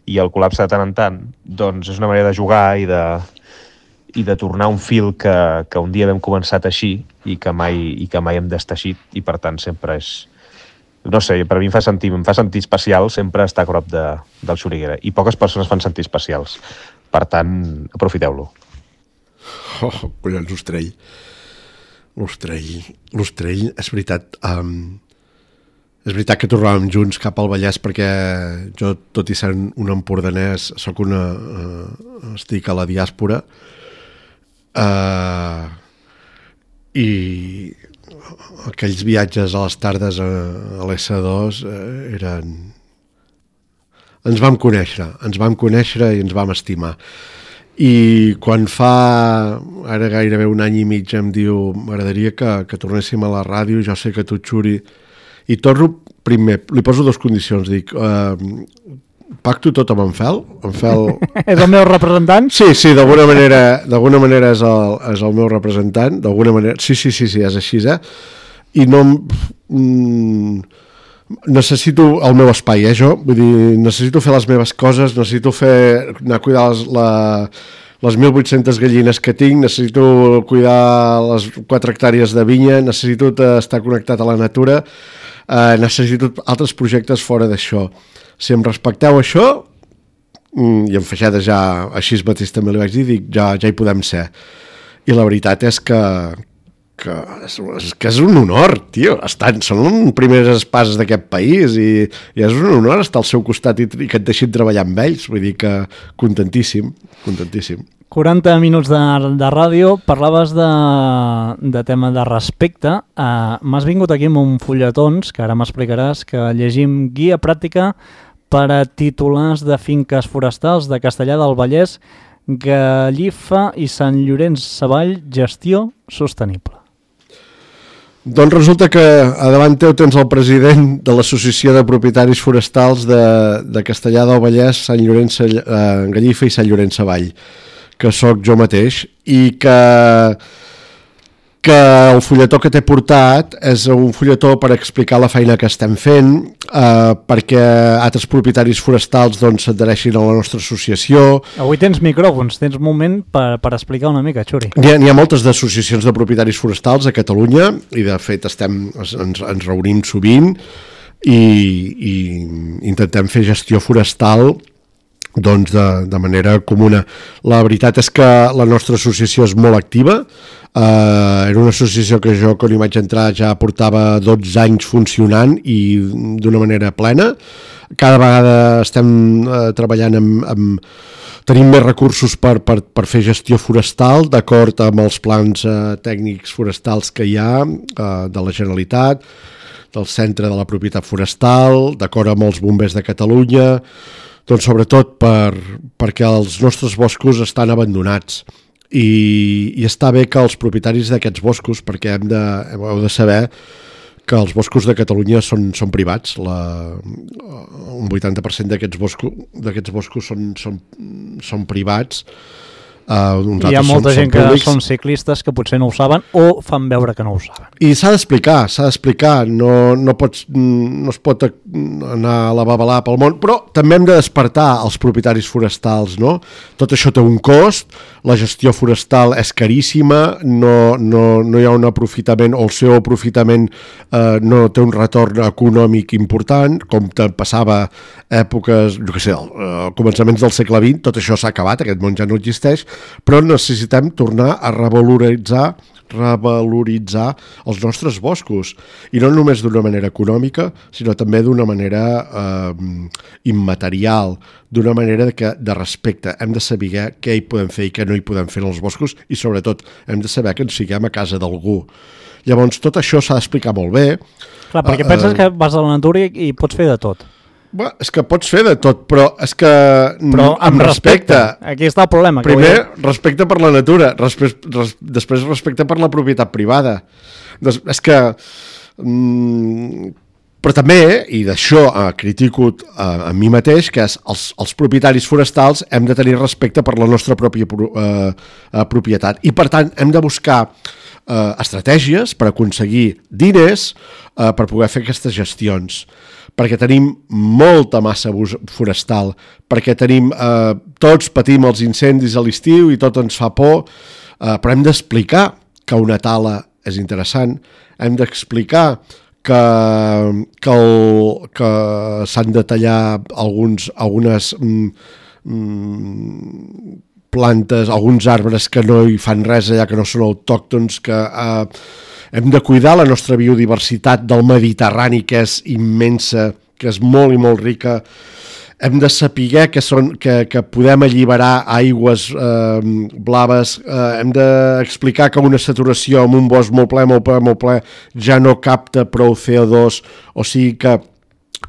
i el col·lapse de tant en tant, doncs és una manera de jugar i de, i de tornar un fil que, que un dia vam començar a teixir i que mai, i que mai hem desteixit i per tant sempre és, no sé, per a mi em fa sentir, em fa sentir especial sempre estar a prop de, del Xuriguera i poques persones fan sentir especials, per tant aprofiteu-lo. Oh, collons, Ostrell. L'Ostrell, l'Ostrell, és veritat, um, és veritat que tornàvem junts cap al Vallès perquè jo, tot i ser un empordanès, soc una, uh, estic a la diàspora uh, i aquells viatges a les tardes a, a l'S dos uh, eren... Ens vam conèixer, ens vam conèixer i ens vam estimar. I quan fa ara gairebé un any i mig em diu m'agradaria que, que tornéssim a la ràdio, jo sé que tu, Xuri, i torno primer, li poso dues condicions, dic uh, pacto tot amb en Fel, en Fel... És el meu representant? Sí, sí, d'alguna manera, d'alguna manera és, el, és el meu representant, d'alguna manera, sí, sí, sí, sí, és així, eh? I no... Mm, necessito el meu espai, eh, jo? Vull dir, necessito fer les meves coses, necessito fer, anar a cuidar les, la, les mil vuit-centes gallines que tinc, necessito cuidar les quatre hectàrees de vinya, necessito estar connectat a la natura, eh, necessito altres projectes fora d'això. Si em respecteu això, i en Feixeda ja, així mateix també li vaig dir, dic, ja, ja hi podem ser. I la veritat és que, que, és, que és un honor, tio. Estan, són primeres espases d'aquest país i, i és un honor estar al seu costat i, i que et deixin treballar amb ells. Vull dir que contentíssim, contentíssim. quaranta minuts de, de ràdio, parlaves de, de tema de respecte. Uh, M'has vingut aquí amb un fulletons, que ara m'explicaràs, que llegim guia pràctica per a titulars de finques forestals de Castellar del Vallès, Gallifa i Sant Llorenç Savall, gestió sostenible. Doncs resulta que a davant teu tens el president de l'Associació de Propietaris Forestals de, de Castellar del Vallès, Sant Llorenç, eh, Gallifa i Sant Llorenç Savall, que sóc jo mateix, i que, que el fulletó que t'he portat és un fulletó per explicar la feina que estem fent, eh, perquè altres propietaris forestals doncs, s'adhereixin a la nostra associació. Avui tens micròfons, tens moment per, per explicar una mica, Xuri. N'hi ha, n'hi ha moltes d'associacions de propietaris forestals a Catalunya i de fet estem, ens, ens reunim sovint i, i intentem fer gestió forestal doncs de, de manera comuna. La veritat és que la nostra associació és molt activa. Uh, era una associació que jo quan hi vaig entrar ja portava dotze anys funcionant i d'una manera plena. Cada vegada estem uh, treballant amb, amb... tenim més recursos per, per, per fer gestió forestal d'acord amb els plans uh, tècnics forestals que hi ha uh, de la Generalitat, del Centre de la Propietat Forestal, d'acord amb els bombers de Catalunya, doncs sobretot per, perquè els nostres boscos estan abandonats i, i està bé que els propietaris d'aquests boscos, perquè hem de, heu de saber que els boscos de Catalunya són, són privats. La, un vuitanta per cent d'aquests boscos, d'aquests boscos són, són, són privats. Uh, Hi ha molta són, gent són que són ciclistes que potser no ho saben o fan veure que no ho saben. I s'ha d'explicar, s'ha d'explicar, no, no, pots, no es pot anar a la babalà pel món, però també hem de despertar els propietaris forestals, no? Tot això té un cost, la gestió forestal és caríssima, no, no, no hi ha un aprofitament, o el seu aprofitament eh, no té un retorn econòmic important, com passava èpoques, jo què sé, al començaments del segle vint, tot això s'ha acabat, aquest món ja no existeix, però necessitem tornar a revaloritzar revaloritzar els nostres boscos, i no només d'una manera econòmica, sinó també d'una manera eh, immaterial, d'una manera de, que, de respecte. Hem de saber què hi podem fer i què no hi podem fer en els boscos, i sobretot hem de saber que ens siguem a casa d'algú. Llavors tot això s'ha d'explicar molt bé. Clar, perquè uh, penses uh, que vas a la natura i pots fer de tot. Bé, és que pots fer de tot, però és que però amb, amb respecte. respecte. Aquí està el problema. Primer, que respecte per la natura, respecte, res, després respecte per la propietat privada. Des, és que... Mm, però també, i d'això eh, critico eh, a mi mateix, que és els, els propietaris forestals hem de tenir respecte per la nostra pròpia eh, propietat. I per tant hem de buscar eh, estratègies per aconseguir diners eh, per poder fer aquestes gestions, perquè tenim molta massa forestal, perquè tenim, eh, tots patim els incendis a l'estiu i tot ens fa por, eh, però hem d'explicar que una tala és interessant, hem d'explicar que, que, el, que s'han de tallar alguns, algunes mm, plantes, alguns arbres que no hi fan res allà, que no són autòctons, que... Eh, hem de cuidar la nostra biodiversitat del Mediterrani, que és immensa, que és molt i molt rica. Hem de saber que, són, que, que podem alliberar aigües eh, blaves. Eh, hem d'explicar que una saturació amb un bosc molt ple, molt ple, molt ple, ja no capta prou C O dos, o sigui que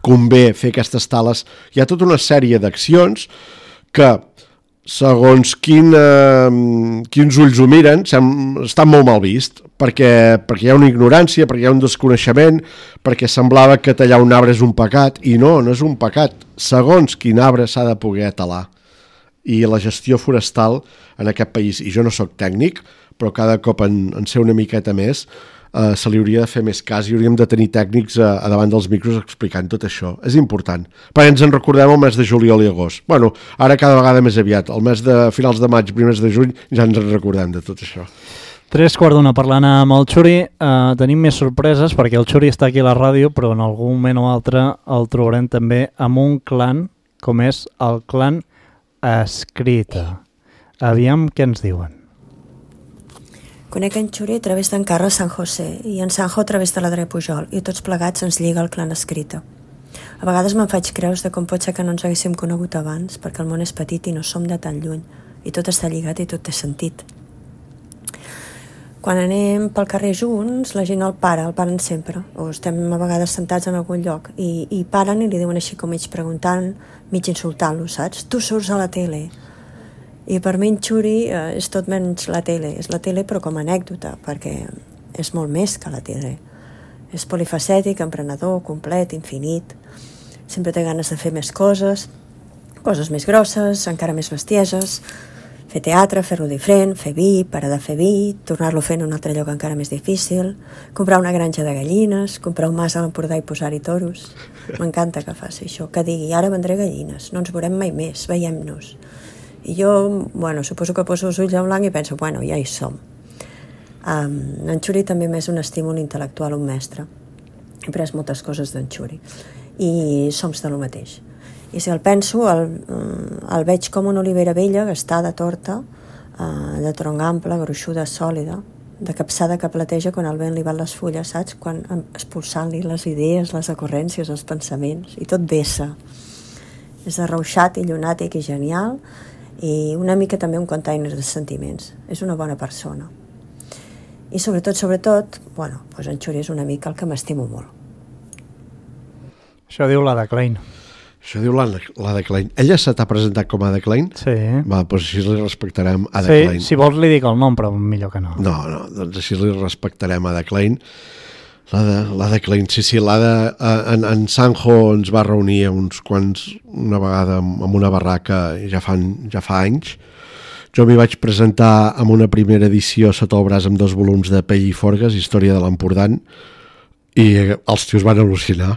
convé fer aquestes tales. Hi ha tota una sèrie d'accions que, segons quin, eh, quins ulls ho miren, estan molt mal vist, perquè, perquè hi ha una ignorància, perquè hi ha un desconeixement, perquè semblava que tallar un arbre és un pecat, i no, no és un pecat. Segons quin arbre s'ha de poder talar. I la gestió forestal en aquest país, i jo no sóc tècnic, però cada cop en, en sé una miqueta més, Uh, se li hauria de fer més cas i hauríem de tenir tècnics a, a davant dels micros explicant tot això. És important. Perquè ens en recordem el mes de juliol i agost. Bueno, ara cada vegada més aviat. El mes de finals de maig, primers de juny, ja ens en recordem de tot això. Tres quarts d'una parlant amb el Xuri. Uh, tenim més sorpreses perquè el Xuri està aquí a la ràdio, però en algun moment o altre el trobarem també amb un clan com és el clan Escrita. Aviam què ens diuen. Conec en Xuri a través d'en Carles San José i en Sanjo a través de l'Adrià Pujol, i tots plegats ens lliga el clan Escrita. A vegades me'n faig creus de com pot ser que no ens haguéssim conegut abans, perquè el món és petit i no som de tan lluny, i tot està lligat i tot té sentit. Quan anem pel carrer junts, la gent el para, el paren sempre, o estem a vegades sentats en algun lloc, i, i paren i li diuen així com mig preguntant, mig insultant-lo, saps? Tu surts a la tele. I per mi en Xuri eh, és tot menys la tele. És la tele però com a anècdota, perquè és molt més que la tele. És polifacètic, emprenedor, complet, infinit. Sempre té ganes de fer més coses, coses més grosses, encara més bestieses, fer teatre, fer-lo diferent, fer vi, parar de fer vi, tornar-lo a fer en un altre lloc encara més difícil, comprar una granja de gallines, comprar un mas a l'Empordà i posar-hi toros. M'encanta que faci això, que digui, ara vendré gallines, no ens veurem mai més, veiem-nos. I jo, bueno, suposo que poso els ulls en blanc i penso, bueno, ja hi som. Um, en Xuri també m'és un estímul intel·lectual, un mestre. He après moltes coses d'en Xuri. I som de lo mateix. I si el penso, el, el veig com una olivera vella, gastada, torta, uh, de tronc ample, gruixuda, sòlida, de capçada que plateja quan el vent li va les fulles, saps? Quan expulsant-li les idees, les ocurrències, els pensaments, i tot vessa. És arrauxat i llunàtic i genial, i una mica també un container de sentiments. És una bona persona. I sobretot, sobretot, bueno, doncs en Xuri és una mica el que m'estimo molt. Això diu la de Klein. Això diu la, la de Klein. Ella se t'ha presentat com a de Klein? Sí. Va, doncs així li respectarem a de sí, Klein. Si vols li dic el nom, però millor que no. No, no, doncs així li respectarem a de Klein. L'Ada, l'Ada Klein, sí, sí, l'Ada en, en Sanjo ens va reunir uns quants, una vegada amb una barraca ja, fan, ja fa anys. Jo m'hi vaig presentar amb una primera edició sota el braç amb dos volums de Pell i Forgues, Història de l'Empordà, i els tios van al·lucinar.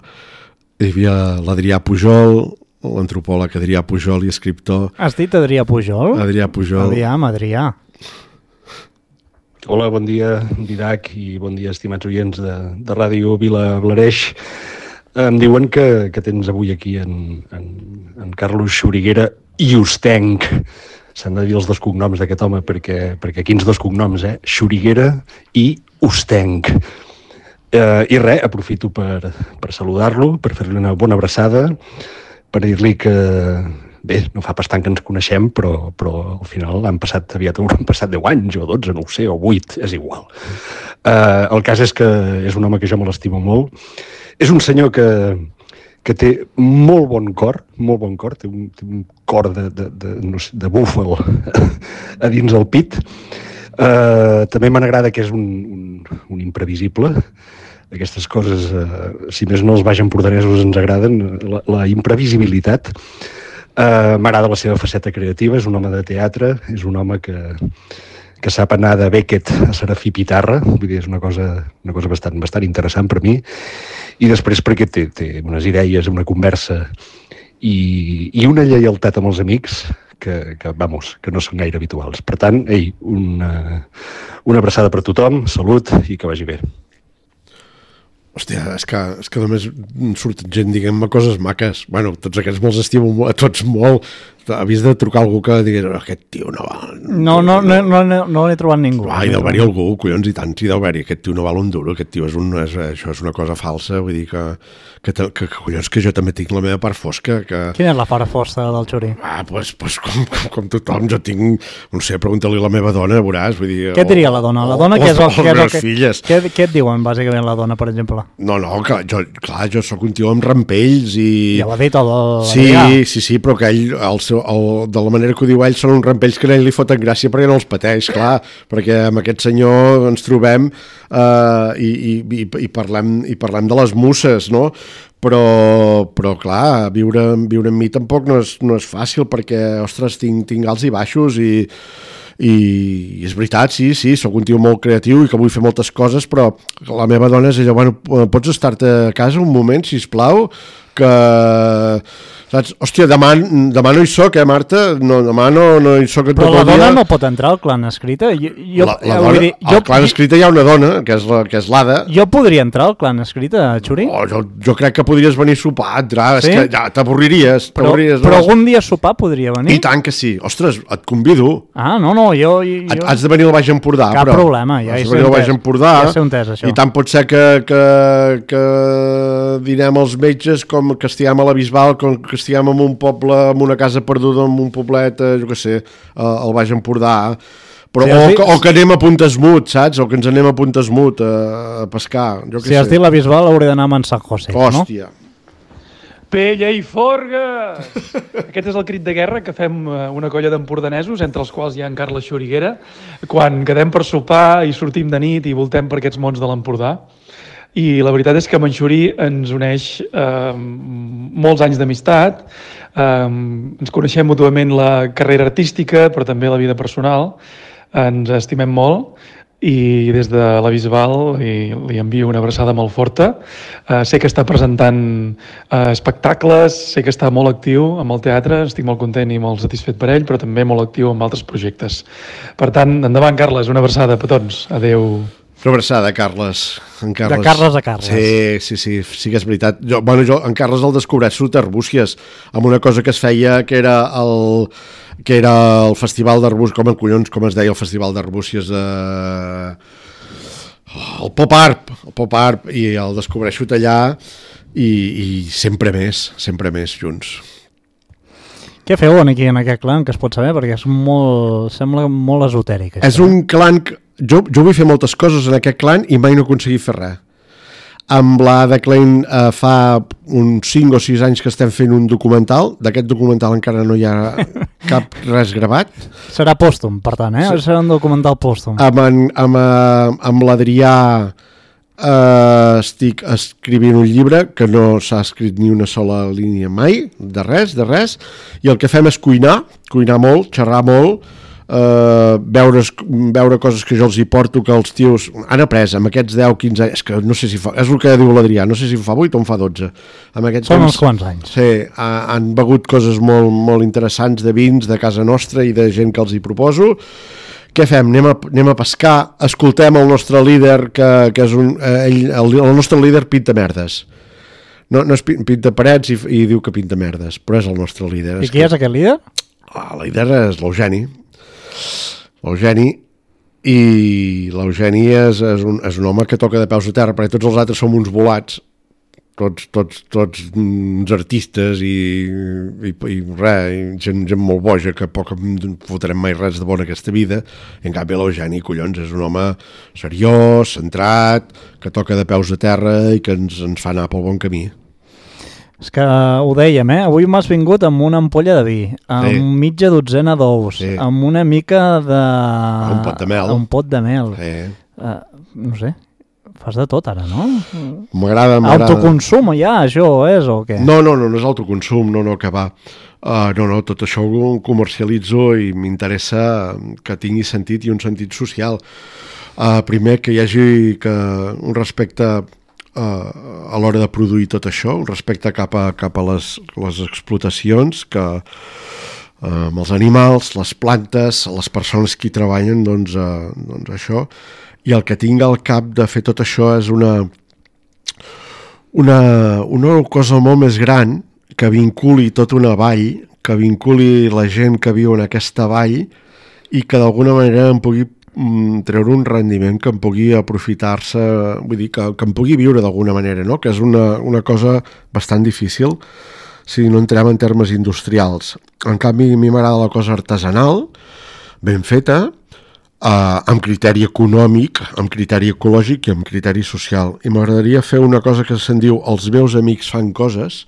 Hi havia l'Adrià Pujol, l'antropòleg Adrià Pujol i escriptor. Has dit Adrià Pujol? Adrià Pujol. Aviam, Adrià. Hola, bon dia, Didac, i bon dia, estimats oients de, de Ràdio Vila Blareix. Em diuen que, que tens avui aquí en, en, en Carlos Xuriguera i Ustenc. S'han de dir els dos cognoms d'aquest home, perquè, perquè quins dos cognoms, eh? Xuriguera i Ustenc. Eh, I res, aprofito per, per saludar-lo, per fer-li una bona abraçada, per dir-li que... Bé, no fa pas tant que ens coneixem, però, però al final han passat, aviat han passat deu anys, o dotze, no ho sé, o vuit, és igual. Uh, el cas és que és un home que jo me l'estimo molt. És un senyor que, que té molt bon cor, molt bon cor, té un, té un cor de, de, de, no sé, de búfal a dins el pit. Uh, també me n'agrada que és un, un, un imprevisible. Aquestes coses, uh, si més no els baix empordanesos ens agraden, la, la imprevisibilitat. Uh, M'agrada la seva faceta creativa, és un home de teatre, és un home que, que sap anar de Beckett a Serafí Pitarra, vull dir, és una cosa, una cosa bastant, bastant interessant per mi, i després perquè té, té unes idees, una conversa i, i una lleialtat amb els amics que, que, vamos, que no són gaire habituals. Per tant, ei, una, una abraçada per tothom, salut i que vagi bé. Hòstia, és que, és que només surten gent, diguem-me, coses maques. Bueno, tots aquests me'ls estimo a tots molt. Havies de trucar a algú que digués aquest tio no val... No, no, no, no, no, no l'he trobat ningú. Ah, hi deu haver-hi algú, collons, i tant, hi deu haver-hi. Aquest tio no val un duro, aquest tio és un... És, això és una cosa falsa, vull dir que, que, que, que collons, que jo també tinc la meva part fosca. Que... Quina és la part fosca del Xuri? Ah, doncs pues, pues, com, com, com tothom, jo tinc... No sé, pregunta-li a la meva dona, veuràs, vull dir... Què et diria la dona? La dona, o, què és el, o, què, és el que, filles. Què, què et diuen, bàsicament, la dona, per exemple? No, no, que jo, clar, jo sóc un tio amb rampells i... Ja l'ha dit el... Sí, sí, sí, però que ell, el seu, el, de la manera que ho diu ell, són uns rampells que a ell li foten gràcia perquè no els pateix, clar, perquè amb aquest senyor ens trobem eh, i, i, i, parlem, i parlem de les musses, no? Però, però clar, viure, viure amb mi tampoc no és, no és fàcil perquè, ostres, tinc, tinc alts i baixos i, i, i és veritat, sí, sí, sóc un tio molt creatiu i que vull fer moltes coses, però la meva dona és allò, bueno, pots estar-te a casa un moment, sisplau, que... Saps? Hòstia, demà, demà no hi soc, eh, Marta? No, demà no, no hi soc tot el dia. Però la dona no pot entrar al clan escrita? Jo, jo, la, la dona, dir, jo, al clan escrita hi ha una dona, que és, la, que és l'Ada. Jo podria entrar al clan escrita, Xuri? Oh, jo, jo crec que podries venir a sopar, entrar, sí? És que ja t'avorriries. Però, però algun dia a sopar podria venir? I tant que sí. Ostres, et convido. Ah, no, no, jo... jo... Has de venir al Baix Empordà. Cap però, problema, ja hi sé un tès. Empordà, ja sé un tès, això. I tant pot ser que, que, que dinem els metges com que estiguem a la Bisbal, com que estiguem en un poble, en una casa perduda, en un poblet, jo què sé, al Baix Empordà, però, sí, o, dit... o que anem a Puntesmut, saps? O que ens anem a Puntesmut a, a pescar, jo què si sé. has dit la Bisbal hauré d'anar a San José, Hòstia. No? Pella i forgues! Aquest és el crit de guerra que fem una colla d'empordanesos, entre els quals hi ha en Carles Xuriguera, quan quedem per sopar i sortim de nit i voltem per aquests mons de l'Empordà. I la veritat és que amb en Xuri ens uneix eh, molts anys d'amistat, eh, ens coneixem mútuament la carrera artística, però també la vida personal, ens estimem molt i des de la Bisbal li, li envio una abraçada molt forta. Eh, sé que està presentant eh, espectacles, sé que està molt actiu amb el teatre, estic molt content i molt satisfet per ell, però també molt actiu amb altres projectes. Per tant, endavant, Carles, una abraçada a petons. Adéu. Una abraçada, Carles. En Carles. De Carles a Carles. Sí, sí, sí, sí que és veritat. Jo, bueno, jo en Carles el descobreix sota Arbúcies, amb una cosa que es feia que era el, que era el Festival d'Arbúcies, com en collons, com es deia el Festival d'Arbúcies, eh, el Pop Art, el Pop Art, i el descobreixo allà i, i sempre més, sempre més junts. Què feu aquí en aquest clan, que es pot saber? Perquè és molt, sembla molt esotèric. Això. És un clan que... Jo, jo vull fer moltes coses en aquest clan i mai no he aconseguit fer res. Amb la de Klein eh, fa uns cinc o sis anys que estem fent un documental. D'aquest documental encara no hi ha cap res gravat. Serà pòstum, per tant, eh? Sí. Serà un documental pòstum. Amb, en, amb, amb l'Adrià Uh, estic escrivint un llibre que no s'ha escrit ni una sola línia mai, de res, de res, i el que fem és cuinar, cuinar molt, xerrar molt, uh, veure, veure coses que jo els hi porto, que els tios han après amb aquests deu quinze anys, és que no sé si fa, és el que diu l'Adrià, no sé si fa vuit o en fa dotze. Amb aquests Són temps, uns quants anys. Sí, ha, han begut coses molt, molt interessants de vins de casa nostra i de gent que els hi proposo. Què fem? Anem a, anem a pescar, escoltem el nostre líder, que, que és un... Eh, ell, el, el nostre líder pinta merdes. No, no és pinta parets i, i diu que pinta merdes, però és el nostre líder. I qui és aquest líder? Ah, el líder és l'Eugeni. L'Eugeni, i l'Eugeni és, és, un, és un home que toca de peus a terra, perquè tots els altres som uns volats, tots, tots, tots uns artistes i, i, i res, i gent, gent molt boja que poc fotrem mai res de bon en aquesta vida. I en canvi l'Eugeni, collons, és un home seriós, centrat, que toca de peus a terra i que ens, ens fa anar pel bon camí. És que ho dèiem, eh? Avui m'has vingut amb una ampolla de vi, amb Sí. mitja dotzena d'ous, Sí. amb una mica de... Un pot de mel. Un pot de mel. Sí. Uh, no sé, fas de tot ara, no? M'agrada, m'agrada. Autoconsum ja, això és o què? No, no, no, no és autoconsum, no, no, que va. Uh, no, no, tot això ho comercialitzo i m'interessa que tingui sentit i un sentit social. Uh, primer, que hi hagi que un respecte uh, a l'hora de produir tot això, un respecte cap a, cap a les, les explotacions, que uh, amb els animals, les plantes, les persones que hi treballen, doncs, uh, doncs això. I el que tinc al cap de fer tot això és una, una, una cosa molt més gran que vinculi tota una vall, que vinculi la gent que viu en aquesta vall i que d'alguna manera em pugui mm, treure un rendiment, que em pugui aprofitar-se, vull dir, que, que em pugui viure d'alguna manera, no? Que és una, una cosa bastant difícil si no entrem en termes industrials. En canvi, a mi m'agrada la cosa artesanal, ben feta, Uh, amb criteri econòmic, amb criteri ecològic i amb criteri social. I m'agradaria fer una cosa que se'n diu Els meus amics fan coses,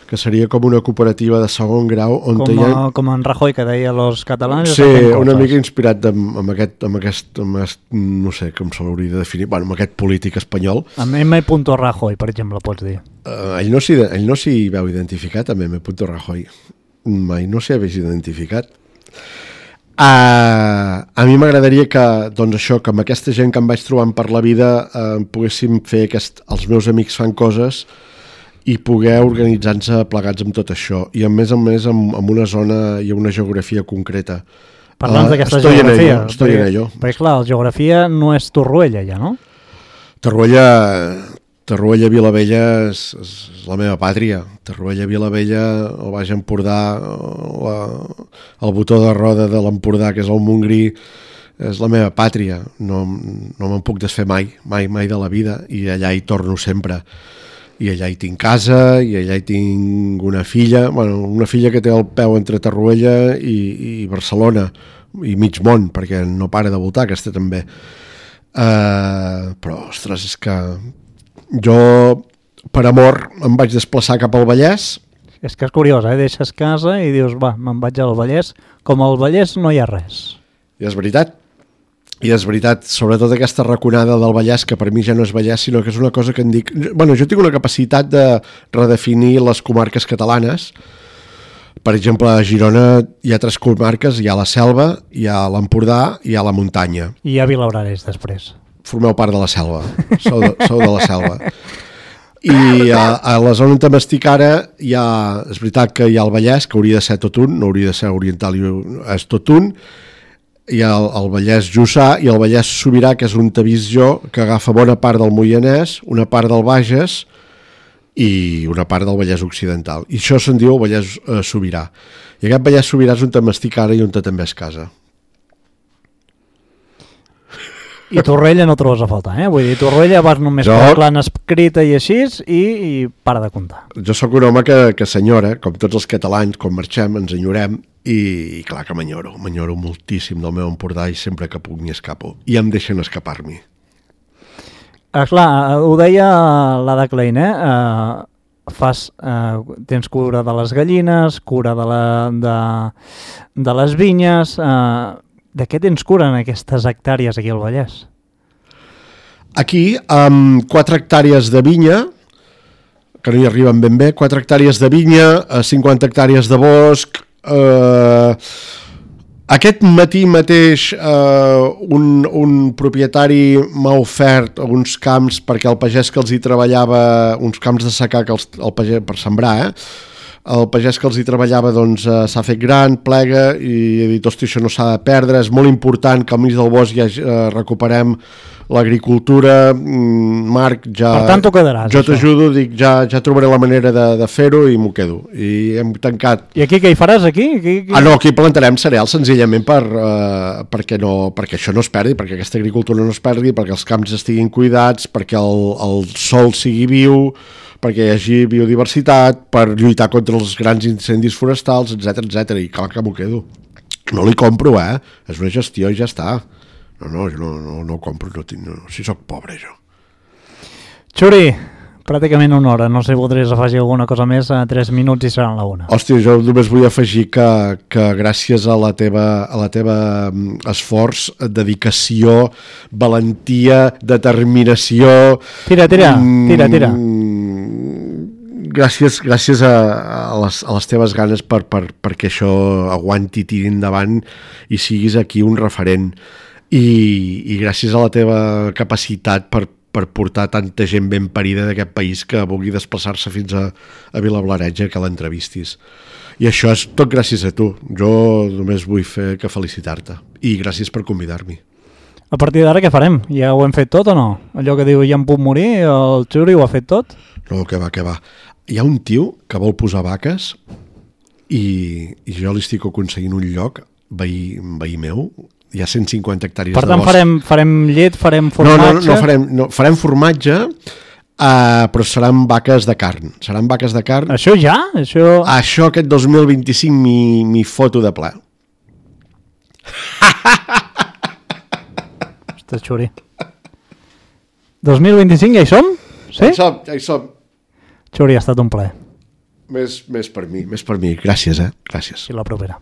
que seria com una cooperativa de segon grau on Com, hi ha... a, com en Rajoy, que deia los catalans... Sí, una mica inspirat de, amb, aquest, amb, aquest, amb aquest, no sé com se l'hauria de definir, bueno, amb aquest polític espanyol. Amb M. Rajoy, per exemple, pots dir. Uh, ell no s'hi ell no s'hi veu identificat, amb M. Rajoy. Mai no s'hi hagués identificat. Uh, a mi m'agradaria que, doncs això, que amb aquesta gent que em vaig trobant per la vida uh, poguéssim fer aquest, els meus amics fan coses i poder organitzar-nos plegats amb tot això i a més a més amb, amb una zona i una geografia concreta. Parlant uh, d'aquesta estoy geografia, en ello, estoy perquè, en ello. perquè clar, la geografia no és Torroella ja, no? Torroella, Torroella Vilavella és, és la meva pàtria. Torroella Vilavella, el Baix Empordà, la, el botó de roda de l'Empordà, que és el Montgrí, és la meva pàtria. No, no me'n puc desfer mai, mai, mai de la vida, i allà hi torno sempre. I allà hi tinc casa, i allà hi tinc una filla, bueno, una filla que té el peu entre Torroella i, i Barcelona, i mig món, perquè no para de voltar, aquesta també. Uh, però, ostres, és que jo, per amor, em vaig desplaçar cap al Vallès. És que és curiós, eh? Deixes casa i dius, va, me'n vaig al Vallès. Com al Vallès no hi ha res. I és veritat. I és veritat, sobretot aquesta raconada del Vallès, que per mi ja no és Vallès, sinó que és una cosa que em dic... Bueno, jo tinc una capacitat de redefinir les comarques catalanes. Per exemple, a Girona hi ha tres comarques, hi ha la selva, hi ha l'Empordà i hi ha la muntanya. I hi ha Vilabrarés, després. Formeu part de la selva, sou de, sou de la selva. I a, a la zona on m'estic ara hi ha, és veritat que hi ha el Vallès, que hauria de ser tot un, no hauria de ser oriental, és tot un, hi ha el, el Vallès Jussà i el Vallès Sobirà, que és on t'he vist jo, que agafa bona part del Moianès, una part del Bages i una part del Vallès Occidental. I això se'n diu el Vallès eh, Sobirà. I aquest Vallès Sobirà és on m'estic ara i on també és casa. I Torroella no trobes a faltar, eh? Vull dir, Torroella vas només Jo... per l'han escrita i així i, i para de comptar. Jo sóc un home que, que s'enyora, com tots els catalans, quan marxem ens enyorem i, i clar que m'enyoro, m'enyoro moltíssim del meu Empordà i sempre que puc m'hi escapo. I em deixen escapar-m'hi. Ah, clar, ho deia l'Ada Klein, eh? Uh, fas, uh, tens cura de les gallines, cura de, la, de, de les vinyes... Uh, de què tens cura en aquestes hectàrees aquí al Vallès? Aquí, amb quatre hectàrees de vinya, que no hi arriben ben bé, quatre hectàrees de vinya, cinquanta hectàrees de bosc... Eh, aquest matí mateix eh, un, un propietari m'ha ofert uns camps perquè el pagès que els hi treballava, uns camps de secà que els, el pagès, per sembrar, eh? El pagès que els hi treballava doncs, eh, s'ha fet gran, plega, i he dit, hosti, això no s'ha de perdre, és molt important que al mig del bosc ja eh, recuperem l'agricultura. Marc, ja... Per tant, t'ho quedaràs. Jo t'ajudo, dic, ja, ja trobaré la manera de, de fer-ho i m'ho quedo. I hem tancat... I aquí què hi faràs, aquí? aquí, aquí? Ah, no, aquí plantarem cereals senzillament per, eh, perquè, no, perquè això no es perdi, perquè aquesta agricultura no es perdi, perquè els camps estiguin cuidats, perquè el, el sol sigui viu, perquè hi hagi biodiversitat, per lluitar contra els grans incendis forestals, etcètera, etcètera. I clar que m'ho quedo. No li compro, eh? És una gestió i ja està. No, no, jo no, no, no ho compro, no tinc, no, si soc pobre, jo. Xuri, pràcticament una hora. No sé si voldries afegir alguna cosa més, a tres minuts i seran la una. Hòstia, jo només vull afegir que, que gràcies a la teva, a la teva esforç, dedicació, valentia, determinació... Tira, tira, tira, tira. Gràcies, gràcies a, a, les, a les teves ganes per, per, perquè això aguanti, tiri endavant i siguis aquí un referent. I, i gràcies a la teva capacitat per, per portar tanta gent ben parida d'aquest país que vulgui desplaçar-se fins a, a Vilablareix que l'entrevistis. I això és tot gràcies a tu. Jo només vull fer que felicitar-te. I gràcies per convidar-m'hi. A partir d'ara què farem? Ja ho hem fet tot o no? Allò que diu ja em puc morir, el Xuri ho ha fet tot? No, que va, que va. Hi ha un tio que vol posar vaques i, i jo li estic aconseguint un lloc, veí, veí meu, hi ha cent cinquanta hectàrees de bosc. Per tant, farem, farem llet, farem formatge... No, no, no farem, no, farem formatge, uh, però seran vaques de carn. Seran vaques de carn. Això ja? Això, Això aquest dos mil vint-i-cinc m'hi foto de ple. Ostres, Xuri. dos mil vint-i-cinc ja hi som? Sí? Ja hi som, ja hi som. Xuri, ha estat un plaer. Més, més per mi, més per mi. Gràcies, eh? Gràcies. I la propera.